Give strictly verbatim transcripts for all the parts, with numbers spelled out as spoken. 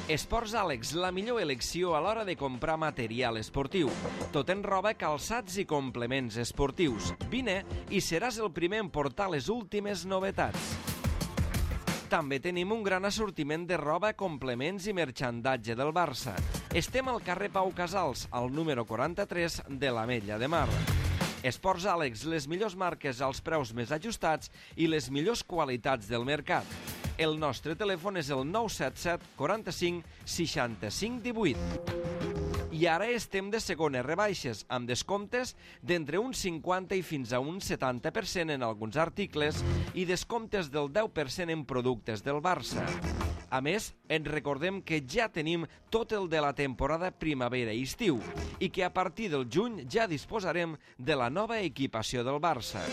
Esports Àlex, la millor elecció a l'hora de comprar material esportiu. Tot en roba, calçats i complements esportius. Vine i seràs el primer en portar les últimes novetats. També tenim un gran assortiment de roba, complements i merxandatge del Barça. Estem al carrer Pau Casals, al número quaranta-tres de l'Ametlla de Mar. Esports Àlex, les millors marques als preus més ajustats i les millors qualitats del mercat. El nostre telèfon és el nou set set quaranta-cinc seixanta-cinc divuit. I ara estem de segones rebaixes, amb descomptes d'entre un cinquanta i fins a un setanta per cent en alguns articles i descomptes del deu per cent en productes del Barça. A més, ens recordem que ja tenim tot el de la temporada primavera i estiu i que a partir del juny ja disposarem de la nova equipació del Barça.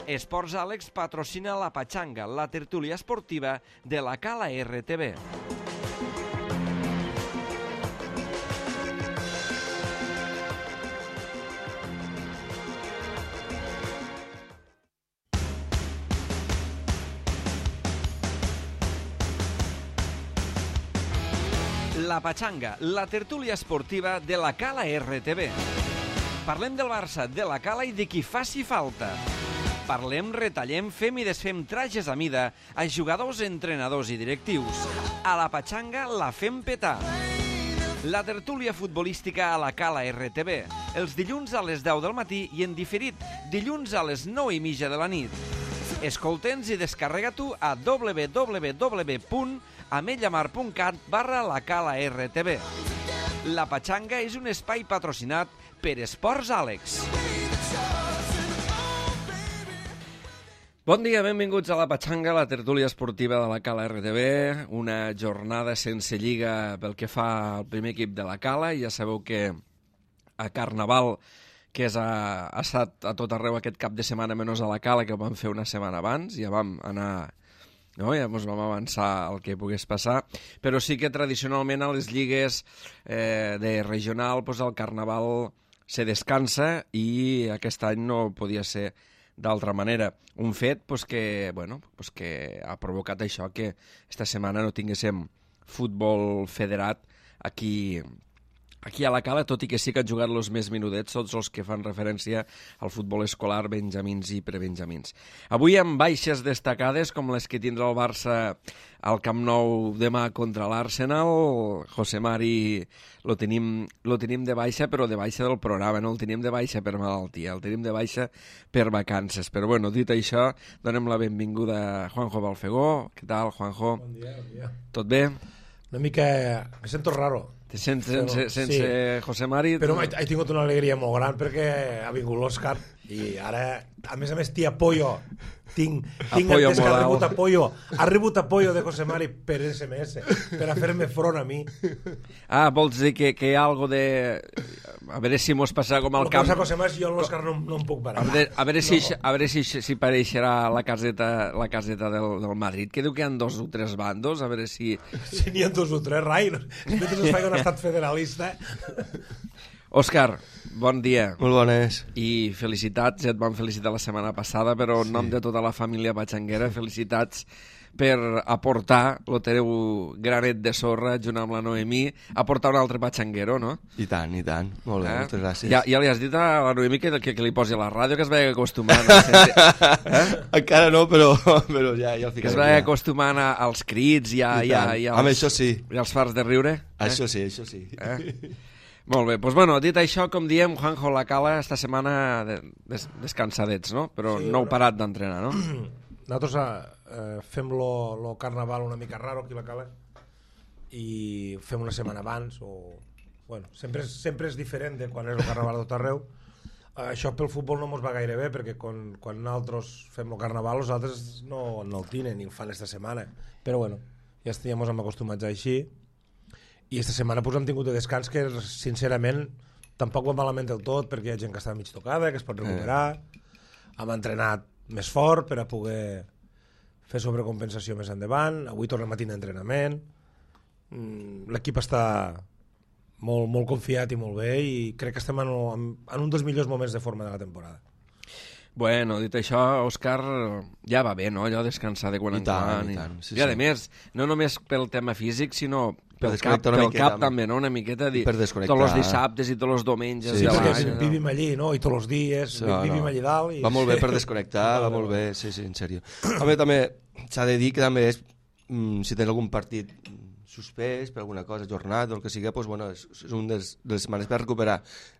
Esports Àlex patrocina la Patxanga, la tertúlia esportiva de la Cala R T B. La Patxanga, la tertúlia esportiva de la Cala R T B. Parlem del Barça, de la Cala i de qui faci falta. Parlem, retallem, fem i desfem trajes a mida a jugadors, entrenadors i directius. A la Patxanga la fem petar. La tertúlia futbolística a la Cala R T B. Els dilluns a les deu del matí i en diferit dilluns a les nou i mitja de la nit. Escolta'ns i descarrega-t'ho a w w w punt ametllamar punt cat barra la Cala R T B. La Patxanga és un espai patrocinat per Esports Àlex. Bon dia, benvinguts a la Patxanga, la tertúlia esportiva de la Cala R T B. Una jornada sense lliga pel que fa al primer equip de la Cala. Ja sabeu que a Carnaval, que és a, ha estat a tot arreu aquest cap de setmana menys a la Cala, que ho vam fer una setmana abans, ja vam anar... No? Ja ens vam avançar el que pogués passar, però sí que tradicionalment a les lligues eh, de regional pues, el Carnaval se descansa i aquest any no podia ser d'altra manera. Un fet pues, que, bueno, pues, que ha provocat això que esta setmana no tinguéssim futbol federat aquí, aquí a la Cala, tot i que sí que han jugat els més minudets, tots els que fan referència al futbol escolar, benjamins i prebenjamins. Avui amb baixes destacades, com les que tindrà el Barça al Camp Nou demà contra l'Arsenal. José Mari lo tenim, lo tenim de baixa, però de baixa del programa, no el tenim de baixa per malaltia, el tenim de baixa per vacances. Però bueno, dit això, donem la benvinguda a Juanjo Balfegó. Què tal, Juanjo? Bon dia, bon dia. Tot bé? Una mica... Me sento raro. Te sents sense, sense sí. José Mari? Però he, he tingut una alegria molt gran perquè ha vingut l'Òscar i ara, a més a més, tia Pollo, tinc, tinc Apoyo entès que moral. ha rebut apoyo, ha rebut apoyo de José Mari per esse eme esse, per a fer-me front a mi. Ah, vols dir que, que hi ha algo de... A veure si mos passa com al El que camp... passa, José Mari, jo l'Òscar no, no em puc parar. A veure, a veure, si, No. a veure si, si pareixerà la caseta, la caseta del, del Madrid, que diu que hi ha dos o tres bandos, a veure si... Si n'hi ha dos o tres, rai, mentre es faci un estat federalista. Òscar, bon dia. Molt bones. I felicitats, ja et vam felicitar la setmana passada, però en Sí. nom de tota la família patxanguera, felicitats per aportar el teu granet de sorra junt amb la Noemí, aportar un altre patxanguero, no? I tant, i tant. Molt bé, Eh? moltes gràcies. Ja, ja li has dit a la Noemí que, que, que li posi a la ràdio, que es vagi acostumant a sentir, eh? Encara no, però, però ja, ja el que ficaré. es vagi ja. acostumant a, als crits i, a, I i, a, tant. i, als, Amb això sí. i als fars de riure. Eh? Això sí, això sí. Eh? Molt bé, doncs bueno, dit això, com diem, Juanjo la Cala esta setmana de, des, descansadets, no? Però Sí, no heu bueno. parat d'entrenar, no? Nosaltres eh, fem lo, lo carnaval una mica raro aquí a la Cala i fem una setmana abans o... Bueno, sempre, és, sempre és diferent de quan és el carnaval de tot arreu. Eh, això pel futbol no mos va gaire bé perquè quan, quan nosaltres fem el carnaval els altres no, no el tenen ni el fan esta setmana, però bueno, ja estem acostumats a així i esta setmana pues, hem tingut de descans que sincerament tampoc va malament del tot perquè hi ha gent que està mig tocada, que es pot recuperar. Hem entrenat més fort per a poder fer sobrecompensació més endavant. Avui tornem a tindre entrenament. Mm, l'equip està molt, molt confiat i molt bé i crec que estem en, en, en un dels millors moments de forma de la temporada. Bueno, dit això, Òscar, ja va bé, no?, allò descansar de quan I en tant, quan. i tant, sí, I a sí. més, no només pel tema físic, sinó pel cap, desconnectar una pel miqueta, cap també, no?, una miqueta, dir, per desconnectar. tots els dissabtes i tots els diumenges. Sí, Sí, de perquè l'any, no? vivim allí, no? I tots els dies, No, vivim no. allí dalt. I... Va molt bé per desconnectar, va molt bé, sí, sí, en sèrio. Home, també s'ha de dir que també és, mm, si tens algun partit suspès per alguna cosa, jornat o el que sigui, doncs, bueno, és, és un dels, dels setmanes per recuperar.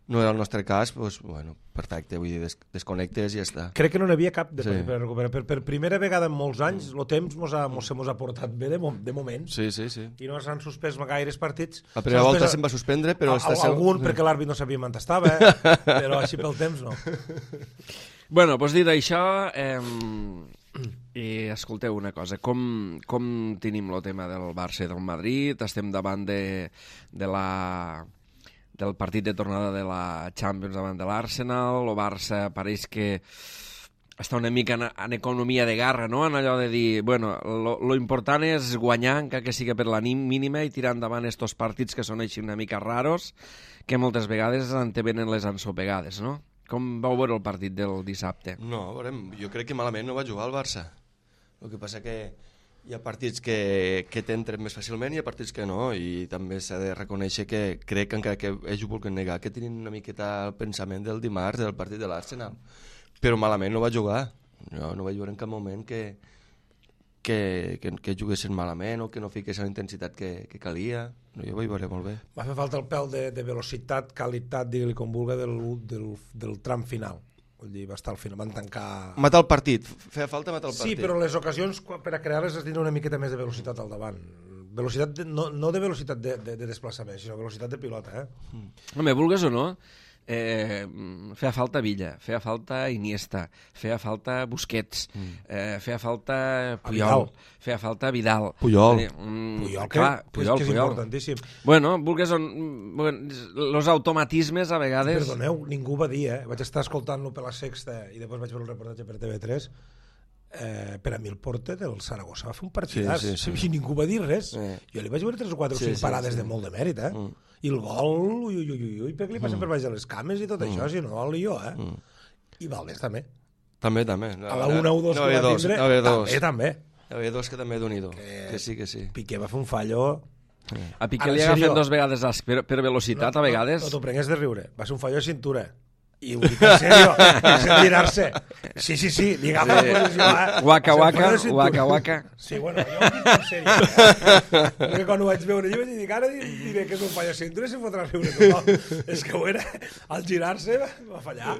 No era el nostre cas, doncs, bueno, perfecte, vull dir, des, desconnectes i ja està. Crec que no n'hi havia cap de Sí. sí. per recuperar. Per, per primera vegada en molts anys, el temps mos ha, mos, se mos ha portat bé de, mom de moment. Sí, sí, sí. I no s'han suspès gaires partits. La primera S'ha volta suspès se'n va suspendre, però... a, està a, algun, perquè l'àrbit no sabia on estava, eh? Però així pel temps no. Bueno, doncs dit això, eh, i escolteu una cosa, com, com tenim el tema del Barça i del Madrid? Estem davant de, de la, del partit de tornada de la Champions davant de l'Arsenal, el Barça pareix que està una mica en, en economia de garra, no?, en allò de dir, bueno, lo, lo important és guanyar, encara que sigui per la mínima, i tirar endavant estos partits que són així una mica raros, que moltes vegades antevenen les ensopegades, no? Com vau veure el partit del dissabte? No, veurem, jo crec que malament no va jugar el Barça. El que passa que hi ha partits que, que t'entren més fàcilment i hi ha partits que no, i també s'ha de reconèixer que crec que encara que ells ho vulguin negar, que tenen una miqueta el pensament del dimarts del partit de l'Arsenal. Però malament no va jugar. No, no vaig veure en cap moment que, que, que, que juguessin malament o que no fiquessin la intensitat que, que calia. No, jo ho vaig veure molt bé. Va fer falta el pèl de, de velocitat, qualitat, digue-li com vulga, del, del, del tram final. Vull dir, va estar al final, van tancar... Matar el partit, feia falta matar el partit. Sí, però les ocasions per a crear-les es tindre una miqueta més de velocitat al davant. Velocitat de, no, no de velocitat de, de, de desplaçament, sinó velocitat de pilota, eh? Mm. Home, vulgues o no, eh, feia falta Villa, feia falta Iniesta, feia falta Busquets, mm. eh, feia falta Puyol, feia falta Vidal. Puyol. Puyol, Mm, Puyol, clar, que, Puyol, que és Puyol. importantíssim. Bueno, vulgues o bueno, los automatismes a vegades... Perdoneu, ningú va dir, eh? Vaig estar escoltant-lo per la Sexta i després vaig veure el reportatge per T V tres. Eh, per a mi el porter del Saragossa va fer un partidàs, Sí, sí, sí. i ningú va dir res. Eh. Jo li vaig veure tres o quatre o Sí, cinc sí, parades sí. de molt de mèrit, eh? Mm. I el gol, ui, ui, ui, ui, perquè li passen per baix de les cames i tot això, si no, el jo, eh? I Valdés també. També, també. A la una u dos no, que no, va dos, tindre, no, dos. també, també. Hi havia dos que també d'un-i-do, Que- que sí, que sí. Piqué va fer un fallo... A Piqué Ara, li en agafen sèrio? dos vegades as, per, per velocitat, a vegades. No, no t'ho prengues de riure. Va ser un fallo de cintura. I ho dic en sèrio, sense girar-se. Sí, sí, sí, li agafa Sí. la posició, eh? Waka, Va ser un waka, fallo de cintura. waka, waka. Sí, bueno, jo ho dic en sèrio. Eh? Perquè quan ho vaig veure jo vaig dir, ara diré que és un fallo de cintura i se fotrà a riure tothom. És que ho era, al girar-se va, va fallar.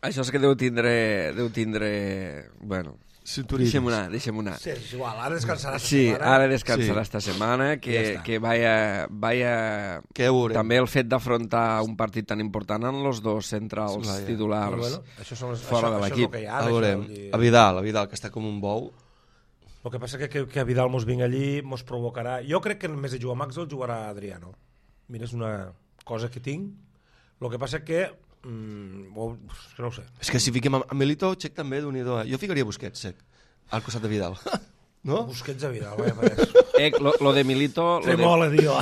Això és que deu tindre... Deu tindre... Bueno, Cinturismes. deixem anar, deixem anar. Sí, és igual, ara descansarà esta Sí, setmana. ara descansarà Sí. esta setmana, que, Ja està. que vaya, vaya... Que ja ho veurem. També el fet d'afrontar un partit tan important en els dos centrals Vaja. titulars Però bueno, això, són les, fora això, de això és l'equip. el que hi ha. A això, veurem, vull dir- a Vidal, a Vidal, que està com un bou. El que passa que, que, que a Vidal mos vinga allí, mos provocarà... Jo crec que en més de jugar Max el jugarà Adriano. Mira, és una cosa que tinc. El que passa que... Mm, ho, és que no ho sé. És que si fiquem a a Milito, Check també d'un-i-do. eh? Jo ficaria Busquets, Check, al costat de Vidal. No? Busquets a Vidal, vaya pareix. Eh, lo, lo de Milito... Lo de... Tremola, tio.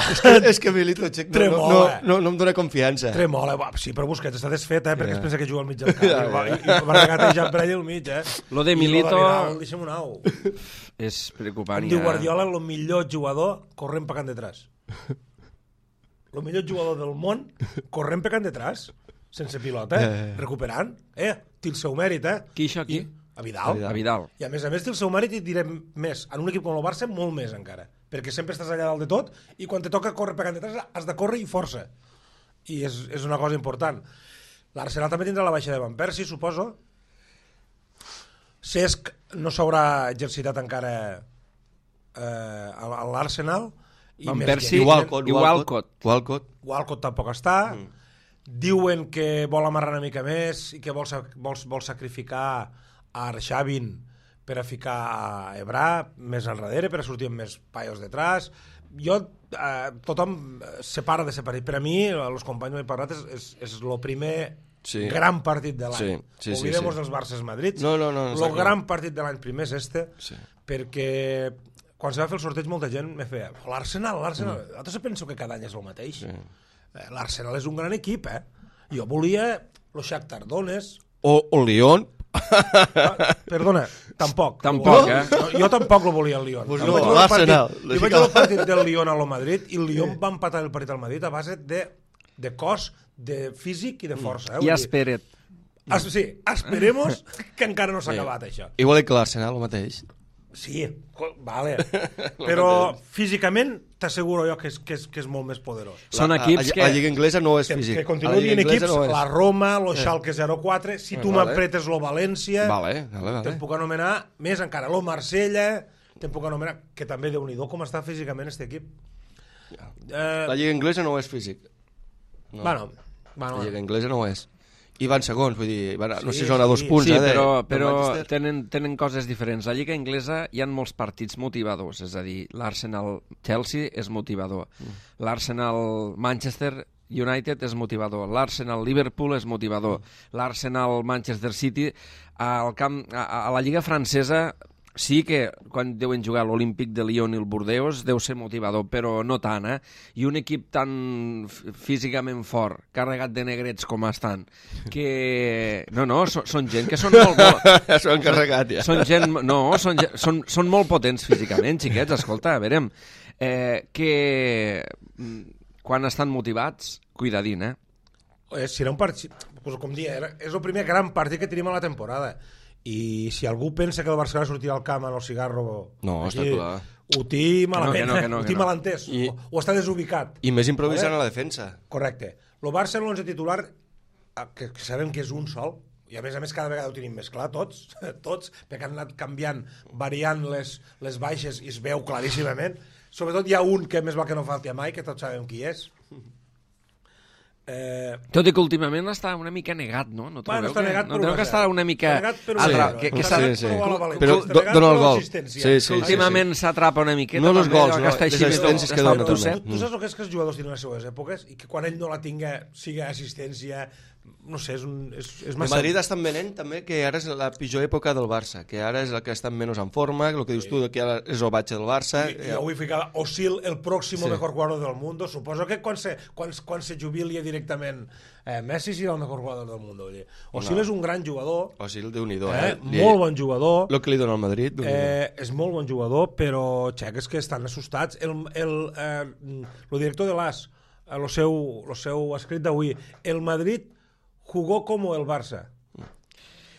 És que Milito, Check, no, no, no, Tremola. no, no em dóna confiança. Tremola, va, sí, però Busquets està desfet, eh, perquè Ja. es pensa que juga al mig del camp. Ja, I va, ja. i, i va regatejant per allà al mig, eh. Lo de I Milito- lo de Vidal, deixa'm un au. És preocupant. Em diu ja. Guardiola, el millor jugador corrent pecant detrás. El millor jugador del món corrent pecant detrás, sense pilota, eh? Ja, ja, ja. recuperant. Eh, té el seu mèrit, eh? Qui, això, qui? I, a Vidal. A Vidal. I a més a més té el seu mèrit i direm més. En un equip com el Barça, molt més encara. Perquè sempre estàs allà dalt de tot i quan te toca córrer pecant detrás has de córrer i força. I és, és una cosa important. L'Arsenal també tindrà la baixa de Van Persie, suposo. Cesc no s'haurà exercitat encara eh, a a l'Arsenal. I Van més Persie que- Igual- Walcott, Walcott. Walcott. Walcott tampoc està. Mm. Diuen que vol amarrar una mica més i que vol, sac- vol, vol sacrificar a Arshavin per a ficar a Ebrà més enrere, per a sortir amb més paios detrás. Jo, eh, tothom separa de separar. Per a mi, els companys m'he parlat, és, és, és el primer Sí. gran partit de l'any. Sí, sí, sí, Oblidem-nos sí. dels Barces Madrid. No, no, no, El exacte. gran partit de l'any primer és este, Sí. perquè quan se va fer el sorteig molta gent me feia l'Arsenal, l'Arsenal. Mm. Altres penso que cada any és el mateix. Sí. Eh, L'Arsenal és un gran equip, eh? Jo volia el Shakhtar Donetsk, O, o Lyon, Ah, perdona, tampoc. Tampoc, eh? No, jo tampoc lo volia el Lyon. Pues Jo no, vaig veure el l'Arsenal. partit- Jo vaig veure el partit del Lyon a lo Madrid i el Lyon va empatar el partit al Madrid a base de, de cos, de físic i de força. Eh? I espera't. Es, sí, esperemos que encara no s'ha acabat, això. Igual que l'Arsenal, el mateix. Sí, co- vale. Però físicament t'asseguro jo que és, que, és, que és molt més poderós. Són La- equips a, que... A Lliga Inglesa no és Que, físic. que A continuï la Lliga dient Inglesa equips, no és. la Roma, lo Schalke zero quatre, si tu Vale. m'apretes lo València, Vale, vale, vale. te'n puc anomenar més encara, lo Marsella, te'n puc anomenar, que també déu-n'hi-do com està físicament este equip. Eh, La Lliga Inglesa no és físic. No. bueno, La bueno, Lliga Inglesa no ho és. I van segons, vull dir, van, no Sí, sé si són a dos sí. punts, Sí, eh, de, però, del però Manchester. tenen, tenen coses diferents. A la Lliga Inglesa hi ha molts partits motivadors, és a dir, l'Arsenal-Chelsea és motivador, mm. l'Arsenal-Manchester United és motivador, l'Arsenal-Liverpool és motivador, mm. l'Arsenal-Manchester City, al camp, a, a la Lliga francesa sí que quan deuen jugar l'Olímpic de Lyon i el Bordeaux deu ser motivador, però no tant, eh? I un equip tan físicament fort, carregat de negrets com estan, que... No, no, són, són gent que són molt... molt... S'ho han carregat, ja. Són gent... No, són, ge- són, són molt potents físicament, xiquets, escolta, a veure, eh, que mm, quan estan motivats, cuidadín, eh? eh, serà un partit, pues, com dia, era, és el primer gran partit que tenim a la temporada. I si algú pensa que el Barcelona sortirà al camp amb el cigarro... No, aquí, està clar. Ho té malament, Que no, que no, eh? ho que té no. mal entès, I- o, o està desubicat. I més improvisant Vale? a la defensa. Correcte. El Barça en l'onze titular, eh, que, que sabem que és un sol, i a més a més cada vegada ho tenim més clar, tots, tots, perquè han anat canviant, variant les, les baixes i es veu claríssimament. Sobretot hi ha un que més val que no falti a mai, que tots sabem qui és. Eh, Tot i que últimament està una mica negat, no? No Bueno, trobeu està que, negat, no però trobeu va que ser. està una mica... Està negat, però Atra- va ser. que, que Està s'ha- negat, però va la valència. Però Està do, negat, dona el però gol. l'assistència. Sí, sí, sí, últimament s'atrapa una miqueta. No els també, gols, allò no, que està les així, assistències que està dona, obtusset. també. Tu saps el que és que els jugadors tenen les seues èpoques i que quan ell no la tinga siga assistència, no sé, és, un, és, és El massa... Madrid estan venent també que ara és la pitjor època del Barça, que ara és el que estan menys en forma, el que dius tu, que ara és el batxe del Barça. I, jo vull ficar Osil, el pròximo Sí. mejor jugador del mundo. Suposo que quan se, quan, quan se jubili directament eh, Messi serà el mejor jugador del mundo. Oye. Osil No. és un gran jugador, O sigui, el Déu-n'hi-do, eh? eh? Li- molt bon jugador. El que li dona al Madrid, Déu-n'hi-do. Eh, és molt bon jugador, però xeques que estan assustats. El, el, eh, el director de l'As, el seu, lo seu escrit d'avui, el Madrid jugó com el Barça.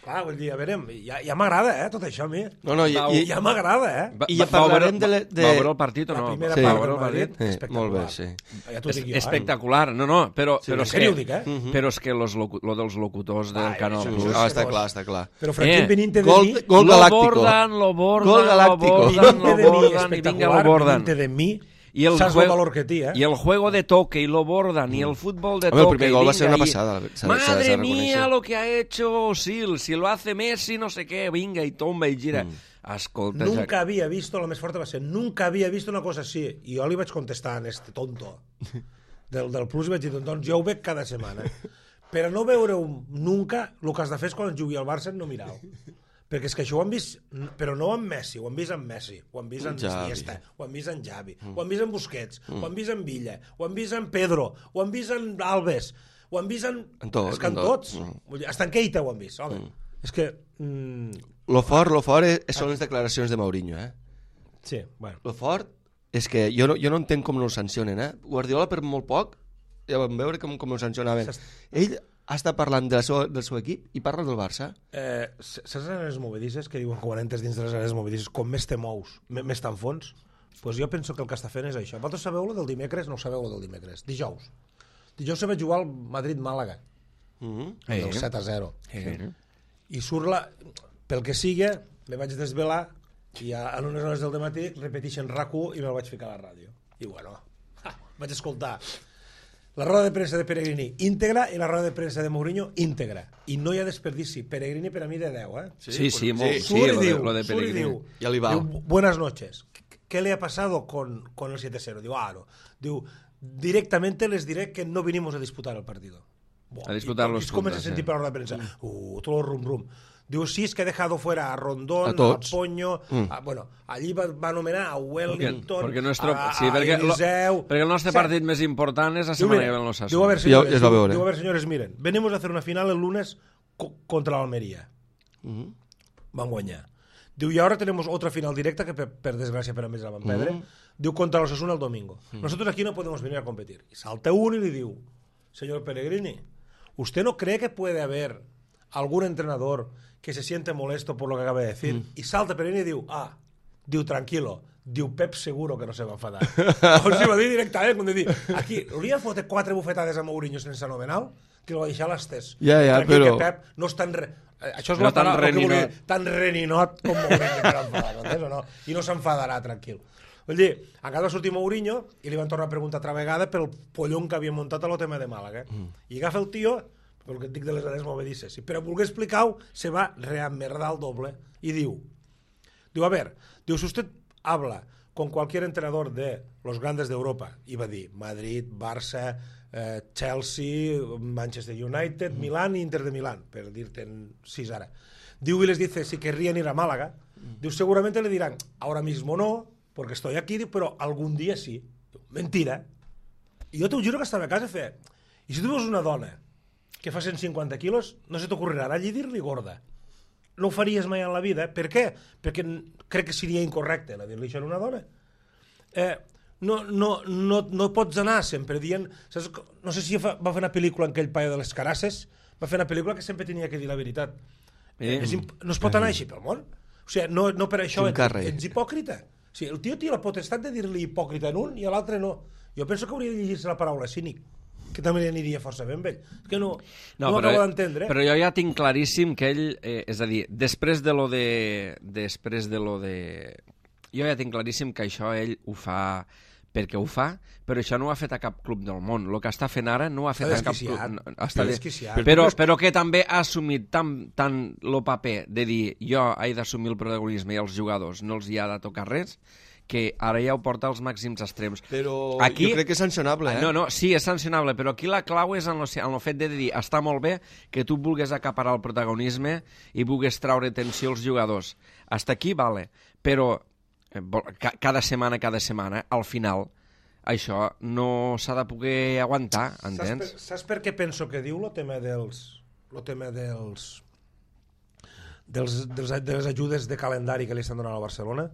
Clar, vull dir, a veure, ja, ja m'agrada, eh, tot això a mi. No, no, i, Va, i, Ja m'agrada, eh? Va, I ja va, va, parlarem veure- de le- de- va veure el partit o La no? primera Sí. part Va veure del el Madrid, partit? Eh, espectacular. molt bé, sí. Ja t'ho És dic jo, eh? espectacular, no, no, però, però, en és sèrio que, ho dic, eh? però és que los locu lo dels locutors del Ai, Canal això- Plus... Ah, està clar, està clar. Però Franquín Eh, Benítez de Gol, mi... gol lo galàctico. bordan, lo bordan, Gol lo galàctico. bordan, Benítez lo de mi, bordan, i vinga, espectacular, lo bordan. Benítez de mi, I el, saps juego, el valor que té, eh? I el juego de toque, y lo bordan, y el fútbol de Home, el toque... primer y gol va ser vinga, una y- pasada, s'ha- s'ha de Madre reconèixer. mía, lo que ha hecho Osil, si lo hace Messi, no sé qué, vinga, i tomba, i gira. Mm. Escolta, Nunca Jack, había visto, la més forta va ser, nunca había visto una cosa així. I jo li vaig contestar a este tonto del, del Plus i vaig dir, doncs jo ho veig cada setmana. Però no veure-ho nunca, el que has de fer és quan jugui al Barça no mirar-ho. Perquè és que això ho han vist, però no amb Messi, ho han vist amb Messi, ho han vist amb Xavi. Iniesta, ho han vist amb Xavi, mm. ho han vist amb Busquets, mm. ho han vist amb Villa, ho han vist amb Pedro, ho han vist amb Alves, ho han vist amb... En tot, és que en en tot. tots. Mm. Vull dir, hasta en Keita ho han vist, home. Mm. És que... Mm, Lo fort, lo fort és, són les declaracions de Mourinho, eh? sí, bueno. Lo fort és que jo no, jo no entenc com no el sancionen, eh? Guardiola per molt poc, ja vam veure com, com el sancionaven. Ell està parlant de la seva, del seu equip i parla del Barça. Eh, saps les àrees movedisses que diuen que quan entres dins de les àrees movedisses com més te mous, me- més t'enfons? Doncs pues jo penso que el que està fent és això. Vosaltres sabeu-lo del dimecres? No ho sabeu-lo del dimecres. Dijous. Dijous se va jugar al Madrid-Màlaga, Mm -hmm. Eh. del set a zero. Eh. I surt la... Pel que siga, me vaig desvelar i a, a unes hores del dematí repeteixen R A C u i me'l vaig ficar a la ràdio. I bueno, ha, vaig escoltar la roda de premsa de Pellegrini íntegra i la roda de premsa de Mourinho íntegra. I no hi ha desperdici. Pellegrini per a mi de deu, eh? Sí, sí, molt, sí, Surt lo y de, diu, lo de surt y Pellegrini. diu, Ya le va. diu, buenas noches. ¿Qué le ha pasado con, con el siete cero? Digo, ah, no. Diu, directamente les diré que no vinimos a disputar el partido. Buah, A disputar y- los y comença a puntos, sentir sí. per la rueda de prensa. Uh, todo el rum rum. Diu, sí, es que he dejado fuera a Rondón, A a, tots. Poño, Mm. a, bueno, allí va, va anomenar a Wellington, Perquè, nuestro, a, sí, a perquè, lo, Eliseu... perquè el nostre O sea, partit més important és la Diu, setmana mira, que ve en los diu, a ver, Ja- señores, ja es va diu, veure. diu, a ver, señores, miren, venimos a hacer una final el lunes co- contra la Almería. Mm-hmm. Van guanyar. Diu, y ahora tenemos otra final directa que per, per desgràcia per a més la van perdre. Mm-hmm. Diu, contra los Osasuna el domingo. Mm-hmm. Nosotros aquí no podemos venir a competir. Y salta uno y le diu, señor Pellegrini, ¿usted no cree que puede haber algún entrenador que se siente molesto por lo que acaba de decir? Mm. Y salta Pellegrini y diu, ah, diu, tranquilo, diu, Pep seguro que no se va enfadar. O sigui, va dir directament, com de dir, aquí, hauria de fotre quatre bufetades a Mourinho sense anomenal, que el va deixar a l'estès. Ja, ja, Tranquil, però... que Pep no és tan... Re... Això és no la tan paraula que reninot. volia, tan reninot com Mourinho per enfadar, no? O no? I no s'enfadarà, tranquil. Vull dir, acaba de sortir Mourinho i li van tornar a preguntar altra vegada pel pollón que havia muntat a lo tema de Màlaga. Mm. I agafa el tio, pel que et dic de les anes movedices, i per a voler explicar-ho, se va reemmerdar el doble i diu, diu, a ver, diu, si usted habla con cualquier entrenador de los grandes de Europa, i va dir Madrid, Barça, eh, Chelsea, Manchester United, mm. Milán i Inter de Milán, per dir-te'n sis ara. Diu, y les dice si querrían ir a Málaga, mm. diu, seguramente le dirán, ahora mismo no, porque estoy aquí, pero algún día sí. Mentira. I jo t'ho juro que estava a casa i feia, i si tu veus una dona que fa cent cinquanta quilos, no se t'ocorrirà allí dir-li gorda. No ho faries mai en la vida. Per què? Perquè crec que seria incorrecte la dir-li això a una dona. Eh, no, no, no, no pots anar sempre dient... Saps? No sé si fa, va fer una pel·lícula en aquell paio de les Carasses, va fer una pel·lícula que sempre tenia que dir la veritat. Eh, és imp... No es pot anar així pel món. O sigui, no, no per això ets, ets hipòcrita. O sigui, el tio té la potestat de dir-li hipòcrita en un i a l'altre no. Jo penso que hauria de llegir-se la paraula cínic, que també li aniria força ben bé. És que no, no, no m'acabo d'entendre. Però jo ja tinc claríssim que ell, eh, és a dir, després de lo de... Després de lo de... Jo ja tinc claríssim que això ell ho fa perquè ho fa, però això no ho ha fet a cap club del món. El que està fent ara no ho ha fet a cap club. No, està desquiciat. Però, però que també ha assumit tant, tant el paper de dir jo he d'assumir el protagonisme i els jugadors no els hi ha de tocar res, que ara ja ho porta als màxims extrems. Però aquí, jo crec que és sancionable, eh? No, no, sí, és sancionable, però aquí la clau és en el fet de dir està molt bé que tu vulguis acaparar el protagonisme i vulguis traure tensió als jugadors. Hasta aquí, vale, però cada setmana, cada setmana, al final, això no s'ha de poder aguantar, entens? Saps per, saps per què penso que diu el tema dels... el tema dels... dels, dels de les ajudes de calendari que li estan donant a Barcelona?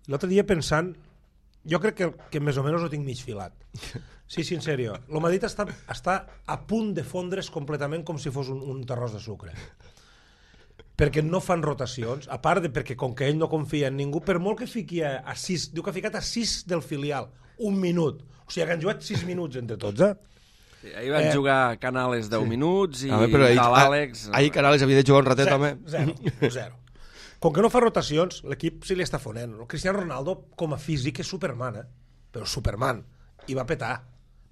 L'altre dia pensant, jo crec que, que més o menys ho tinc mig filat. Sí, sí, en sèrio. El Madrid està, està a punt de fondre's completament com si fos un, un terròs de sucre. Perquè no fan rotacions, a part de perquè com que ell no confia en ningú, per molt que fiqui a, a sis, diu que ha ficat a sis del filial, un minut. O sigui, que han jugat sis minuts entre tots, eh? Sí, ahir van eh, jugar Canales deu sí. minuts i veure, ahir, tal Àlex... Ahir Canales havia de jugar un ratet, zero, també. Zero, zero. Com que no fa rotacions, l'equip se li està fonent. El Cristiano Ronaldo, com a físic, és Superman, eh? Però Superman. I va petar.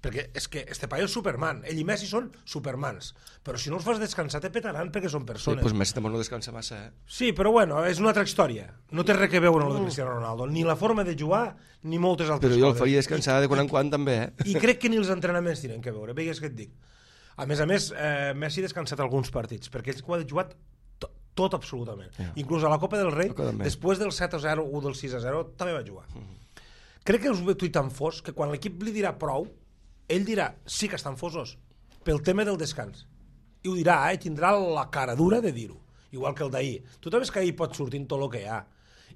Perquè és que este paio és Superman. Ell i Messi són Supermans. Però si no els fas descansar, te petaran perquè són persones. Sí, doncs Messi també no descansa massa, eh? Sí, però bueno, és una altra història. No té res que veure amb el de Cristiano Ronaldo. Ni la forma de jugar, ni moltes altres coses. Però jo coses. el faria descansar de quan en quan, també, eh? I crec que ni els entrenaments tenen que veure. Veigues que et dic. A més a més, eh, Messi ha descansat alguns partits, perquè ell ho ha jugat tot absolutament. Yeah. Inclús a la Copa del Rei, després del set a zero o del sis a zero, també va jugar. Mm -hmm. Crec que us ve tuit tan fos que quan l'equip li dirà prou, ell dirà, sí que estan fosos, pel tema del descans. I ho dirà, eh? Tindrà la cara dura de dir-ho. Igual que el d'ahir. Tu també és que ahir pot sortir tot el que hi ha.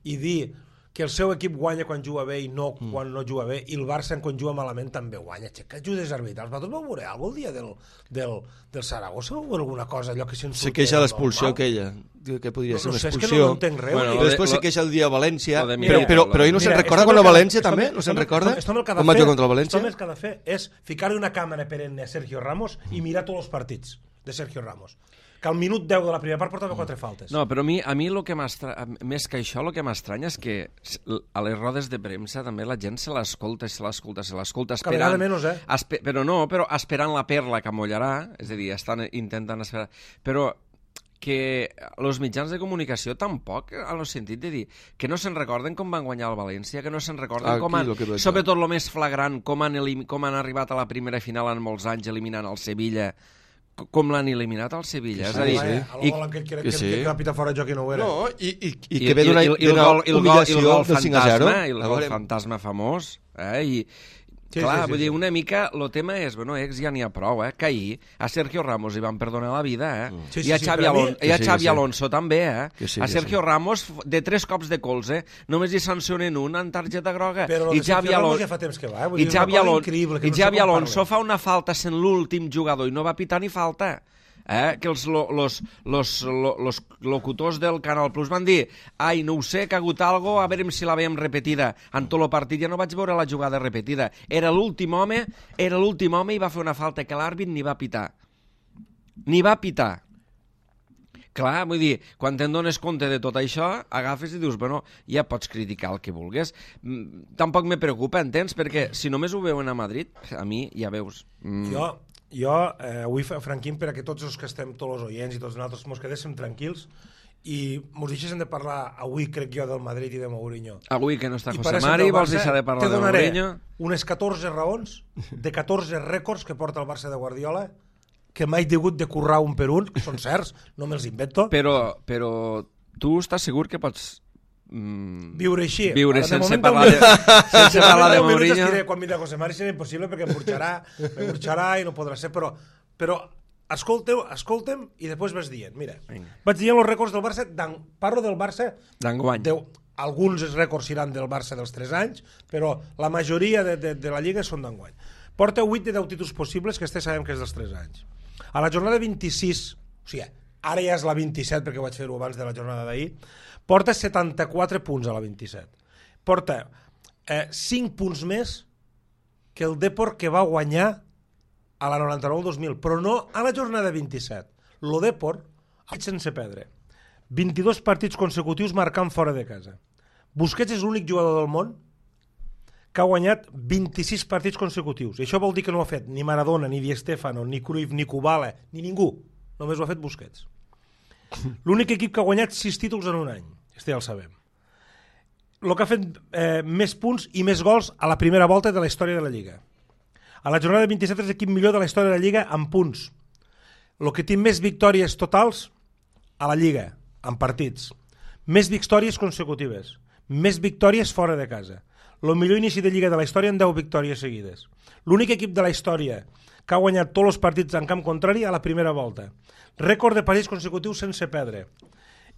I dir que el seu equip guanya quan juga bé i no mm. quan no juga bé, i el Barça quan juga malament també guanya. Xeca, ajudes arbitrals. Vosaltres vau veure alguna cosa el dia del, del, del Saragossa o alguna cosa, allò que se'n se queixa l'expulsió aquella, que podria no, ser una no sé, expulsió. És que no entenc res. Bueno, I després lo, se queixa el dia a València, però, Mira, però, però ell no se'n recorda quan a València esto, també? Esto, no se'n esto, recorda? Esto, esto com va jugar contra el València? Esto que ha de fer és ficar-li una càmera perenne a Sergio Ramos i mirar tots els partits de Sergio Ramos. Que al minut deu de la primera part portava quatre faltes. No, però a mi, a mi lo que més que això, el que m'estranya és que a les rodes de premsa també la gent se l'escolta, se l'escolta, se l'escolta esperant... Cada vegada menys, eh? Espe però no, però esperant la perla que mollarà, és a dir, estan intentant esperar... Però que els mitjans de comunicació tampoc, en el sentit de dir que no se'n recorden com van guanyar el València, que no se'n recorden Aquí, com han, sobretot el més flagrant, com han, com han arribat a la primera final en molts anys eliminant el Sevilla, com l'han eliminat al Sevilla. Sí, és a dir, sí. I, el que crec que, sí. que capita fora de joc i no ho era. No, i, i, i que ve d'una humillació del cinc a zero. I el gol fantasma famós. Eh? I, Sí, Clar, sí, sí, vull sí. dir, una mica, el tema és, bueno, ex ja n'hi ha prou, eh, que ahir a Sergio Ramos li van perdonar la vida, eh, Sí, sí, i a sí, Xavi, per a mi- Alon Que i a sí, Xavi que sí. Alonso també, eh, Que sí, a que Sergio sí. Ramos, de tres cops de colze, només hi sancionen un en targeta groga, Però i el de Xavi Sergio Ramos Alonso... ja fa temps que va, eh? Vull I dir, és una Xavi, cosa Alon... increïble, que I no sé Xavi com Alonso parlen. fa una falta sent l'últim jugador i no va pitar ni falta. Eh? Que els lo, los, los, lo, los locutors del Canal Plus van dir ai, no ho sé, que ha hagut algo, a veure si la veiem repetida. En tot el partit ja no vaig veure la jugada repetida. Era l'últim home, era l'últim home i va fer una falta que l'àrbit ni va pitar. Ni va pitar. Clar, vull dir, quan te'n dones compte de tot això, agafes i dius, bueno, ja pots criticar el que vulguis. Mm, tampoc me preocupa, entens? Perquè si només ho veuen a Madrid, a mi ja veus... Mm, Jo, jo eh, avui, Franquín, perquè tots els que estem, tots els oients i tots nosaltres, mos quedéssim tranquils i mos deixéssim de parlar avui, crec jo, del Madrid i de Mourinho. avui que no està I José paréssim Mari, del vols Barça, deixar de parlar te de donaré Mourinho? unes catorze raons de catorze rècords que porta el Barça de Guardiola que mai he hagut de currar un per un, que són certs, no me'ls invento. Però, però tu estàs segur que pots mm, Viure així. viure Ara, de sense moment, parlar de, sense parlar de deu minuts Mourinho? estiré. Quan vindrà José Mari serà impossible perquè em burxarà, em burxarà i no podrà ser, però, però escolteu, escoltem i després vas dient. Mira, Vinga. vaig dient els rècords del Barça, parlo del Barça, D'enguany. Deu, alguns rècords seran del Barça dels tres anys, però la majoria de, de, de la Lliga són d'enguany. Porta vuit de deu títols possibles, que este sabem que és dels tres anys. A la jornada vint-i-sis, o sigui, ara ja és la vint-i-set perquè vaig fer-ho abans de la jornada d'ahir, porta setanta-quatre punts a la vint-i-set. Porta eh, cinc punts més que el Depor que va guanyar a la noranta-nou dos mil, però no a la jornada vint-i-set. Lo Depor ha fet sense perdre vint-i-dos partits consecutius marcant fora de casa. Busquets és l'únic jugador del món que ha guanyat vint-i-sis partits consecutius. I això vol dir que no ho ha fet ni Maradona, ni Di Stéfano, ni Cruyff, ni Kubala, ni ningú. Només ho ha fet Busquets. L'únic equip que ha guanyat sis títols en un any. Este ja el sabem. El que ha fet eh, més punts i més gols a la primera volta de la història de la Lliga. A la jornada vint-i-set és l'equip millor de la història de la Lliga en punts. El que té més victòries totals a la Lliga, en partits. Més victòries consecutives. Més victòries fora de casa. El millor inici de Lliga de la història en deu victòries seguides. L'únic equip de la història que ha guanyat tots els partits en camp contrari a la primera volta. Rècord de partits consecutius sense perdre.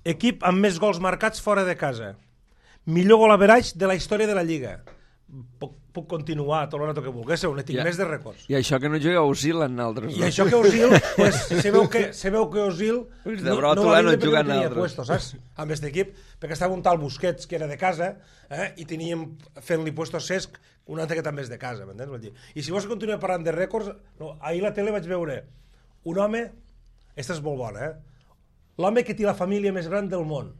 Equip amb més gols marcats fora de casa. Millor gol average de la història de la Lliga. Puc, puc continuar tot el rato que volguéssiu, ne tinc Ja. més de rècords. I això que no jugueu a Osil en altres. I això que Osil, pues, sabeu que, sabeu que Osil Pues de no, brota no va no vindre perquè juguen no tenia altres. puesto, saps? Amb aquest equip, perquè estava un tal Busquets que era de casa eh, i teníem fent-li puesto a Cesc un altre que també és de casa, m'entens? Vull dir, i si vols continuar parlant de rècords, no, ahir a la tele vaig veure un home, aquesta és molt bona, eh? L'home que té la família més gran del món.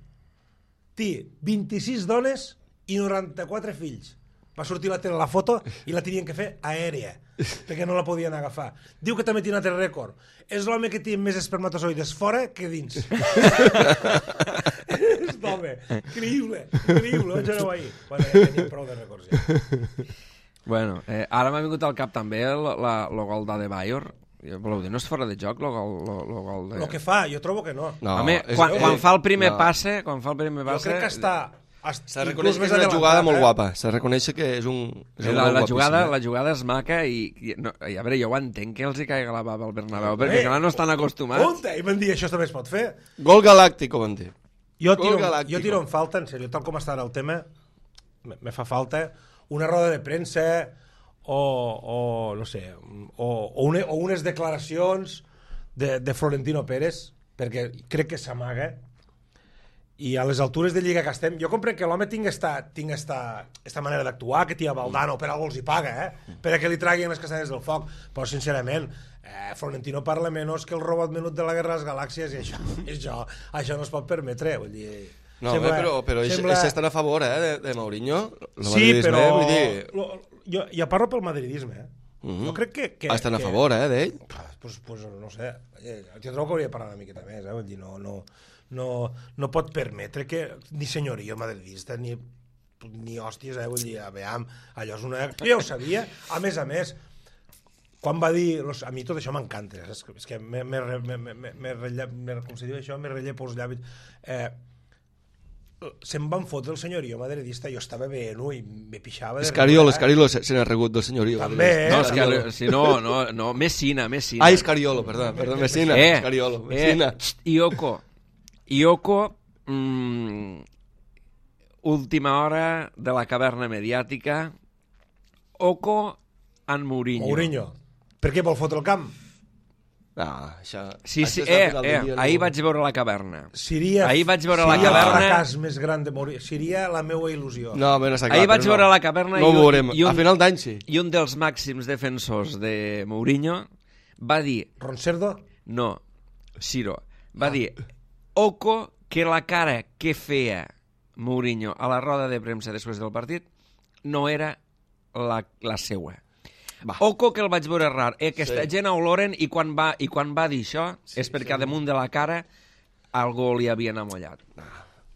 Té vint-i-sis dones i noranta-quatre fills. Va sortir la tele la foto i la tenien que fer aèria, perquè no la podien agafar. Diu que també té un altre rècord. És l'home que té més espermatozoides fora que dins. És l'home. Increïble, increïble. Vaig veure-ho ahir. Bueno, ja tenim prou de rècords, ja. Bueno, eh, ara m'ha vingut al cap també el, la, el gol d'Adebayor. Voleu dir, no és fora de joc el gol, lo, lo gol de... El que fa, jo trobo que no. No, Home, és- quan, eh, quan fa el primer no. passe, quan fa el primer Jo passe... crec que està... S'ha de reconèixer que és una jugada molt guapa. S'ha de reconèixer que és un, és un La, gol la, jugada, guapíssim, eh? la jugada és maca i, i, no, i a veure, jo ho entenc que els hi caiga la bava al Bernabéu, perquè Eh, clar, no estan acostumats. Compte, i van dir, això també es pot fer. Gol galàctic, ho van dir. Jo Gol tiro, galàctico. jo tiro en falta, en sèrio, tal com està ara el tema, me, me fa falta una roda de premsa o, o no sé, o, o, une, o unes declaracions de, de Florentino Pérez, perquè crec que s'amaga, i a les altures de Lliga que estem, jo comprenc que l'home tinc esta, tinc esta, esta manera d'actuar, que tia Valdano, per algú els hi paga, eh? Per a que li traguin les castanyes del foc, però sincerament, eh, Florentino parla menys que el robot menut de la Guerra de les Galàxies, i això, això, això no es pot permetre, vull dir... No, sembla, però, però sembla... ells estan a favor, eh, de, de Mourinho. El Sí, però... Vull dir... Lo, jo, jo parlo pel madridisme, eh? Mm -hmm. Jo crec que... que estan a que... favor, eh, d'ell. Pues, pues no sé, jo trobo que hauria de parlar una miqueta més, eh? Vull dir, no, no, no, no pot permetre que ni senyoria madridista, ni, ni hòsties, eh? Vull dir, a veure, allò és una... Jo ja ho sabia, a més a més, quan va dir... A mi tot això m'encanta, és que, és que me, me, me, me, me, me, rellep, me, com se diu això, me rellepo els llavis... Eh, se'n van fotre el senyorio madridista, jo estava veient i me pixava de Escariolo, riure, eh? Escariolo se, se n'ha regut del senyorio. També, eh? No, Escariolo. Escariolo, si no, no, no, Messina, Messina. Ah, Escariolo, perdó, perdó, Messina. Eh, Escariolo, eh, Messina. xt, Ioko. Ioko, mm, última hora de la caverna mediàtica. Oco en Mourinho. Mourinho. Per què vol fotre el camp? Ah, això... Sí, sí, això és la eh, final eh, del dia, ahir no? vaig veure la caverna. Seria, Ahir vaig veure seria la caverna. el fracàs més gran de Mourinho. Seria la meva il·lusió. No, bé, no està clar, Ahir vaig però veure no. la caverna no i, ho veurem. i, un, A final d'any sí. i un dels màxims defensors de Mourinho va dir, Roncerdo? no, Ciro, va dir, oco que la cara que feia Mourinho a la roda de premsa després del partit no era la, la seua. Va. Oco que el vaig veure rar. Eh, aquesta Sí. gent a oloren i quan va, i quan va dir això Sí, és perquè sí. damunt de la cara algú li havien amollat.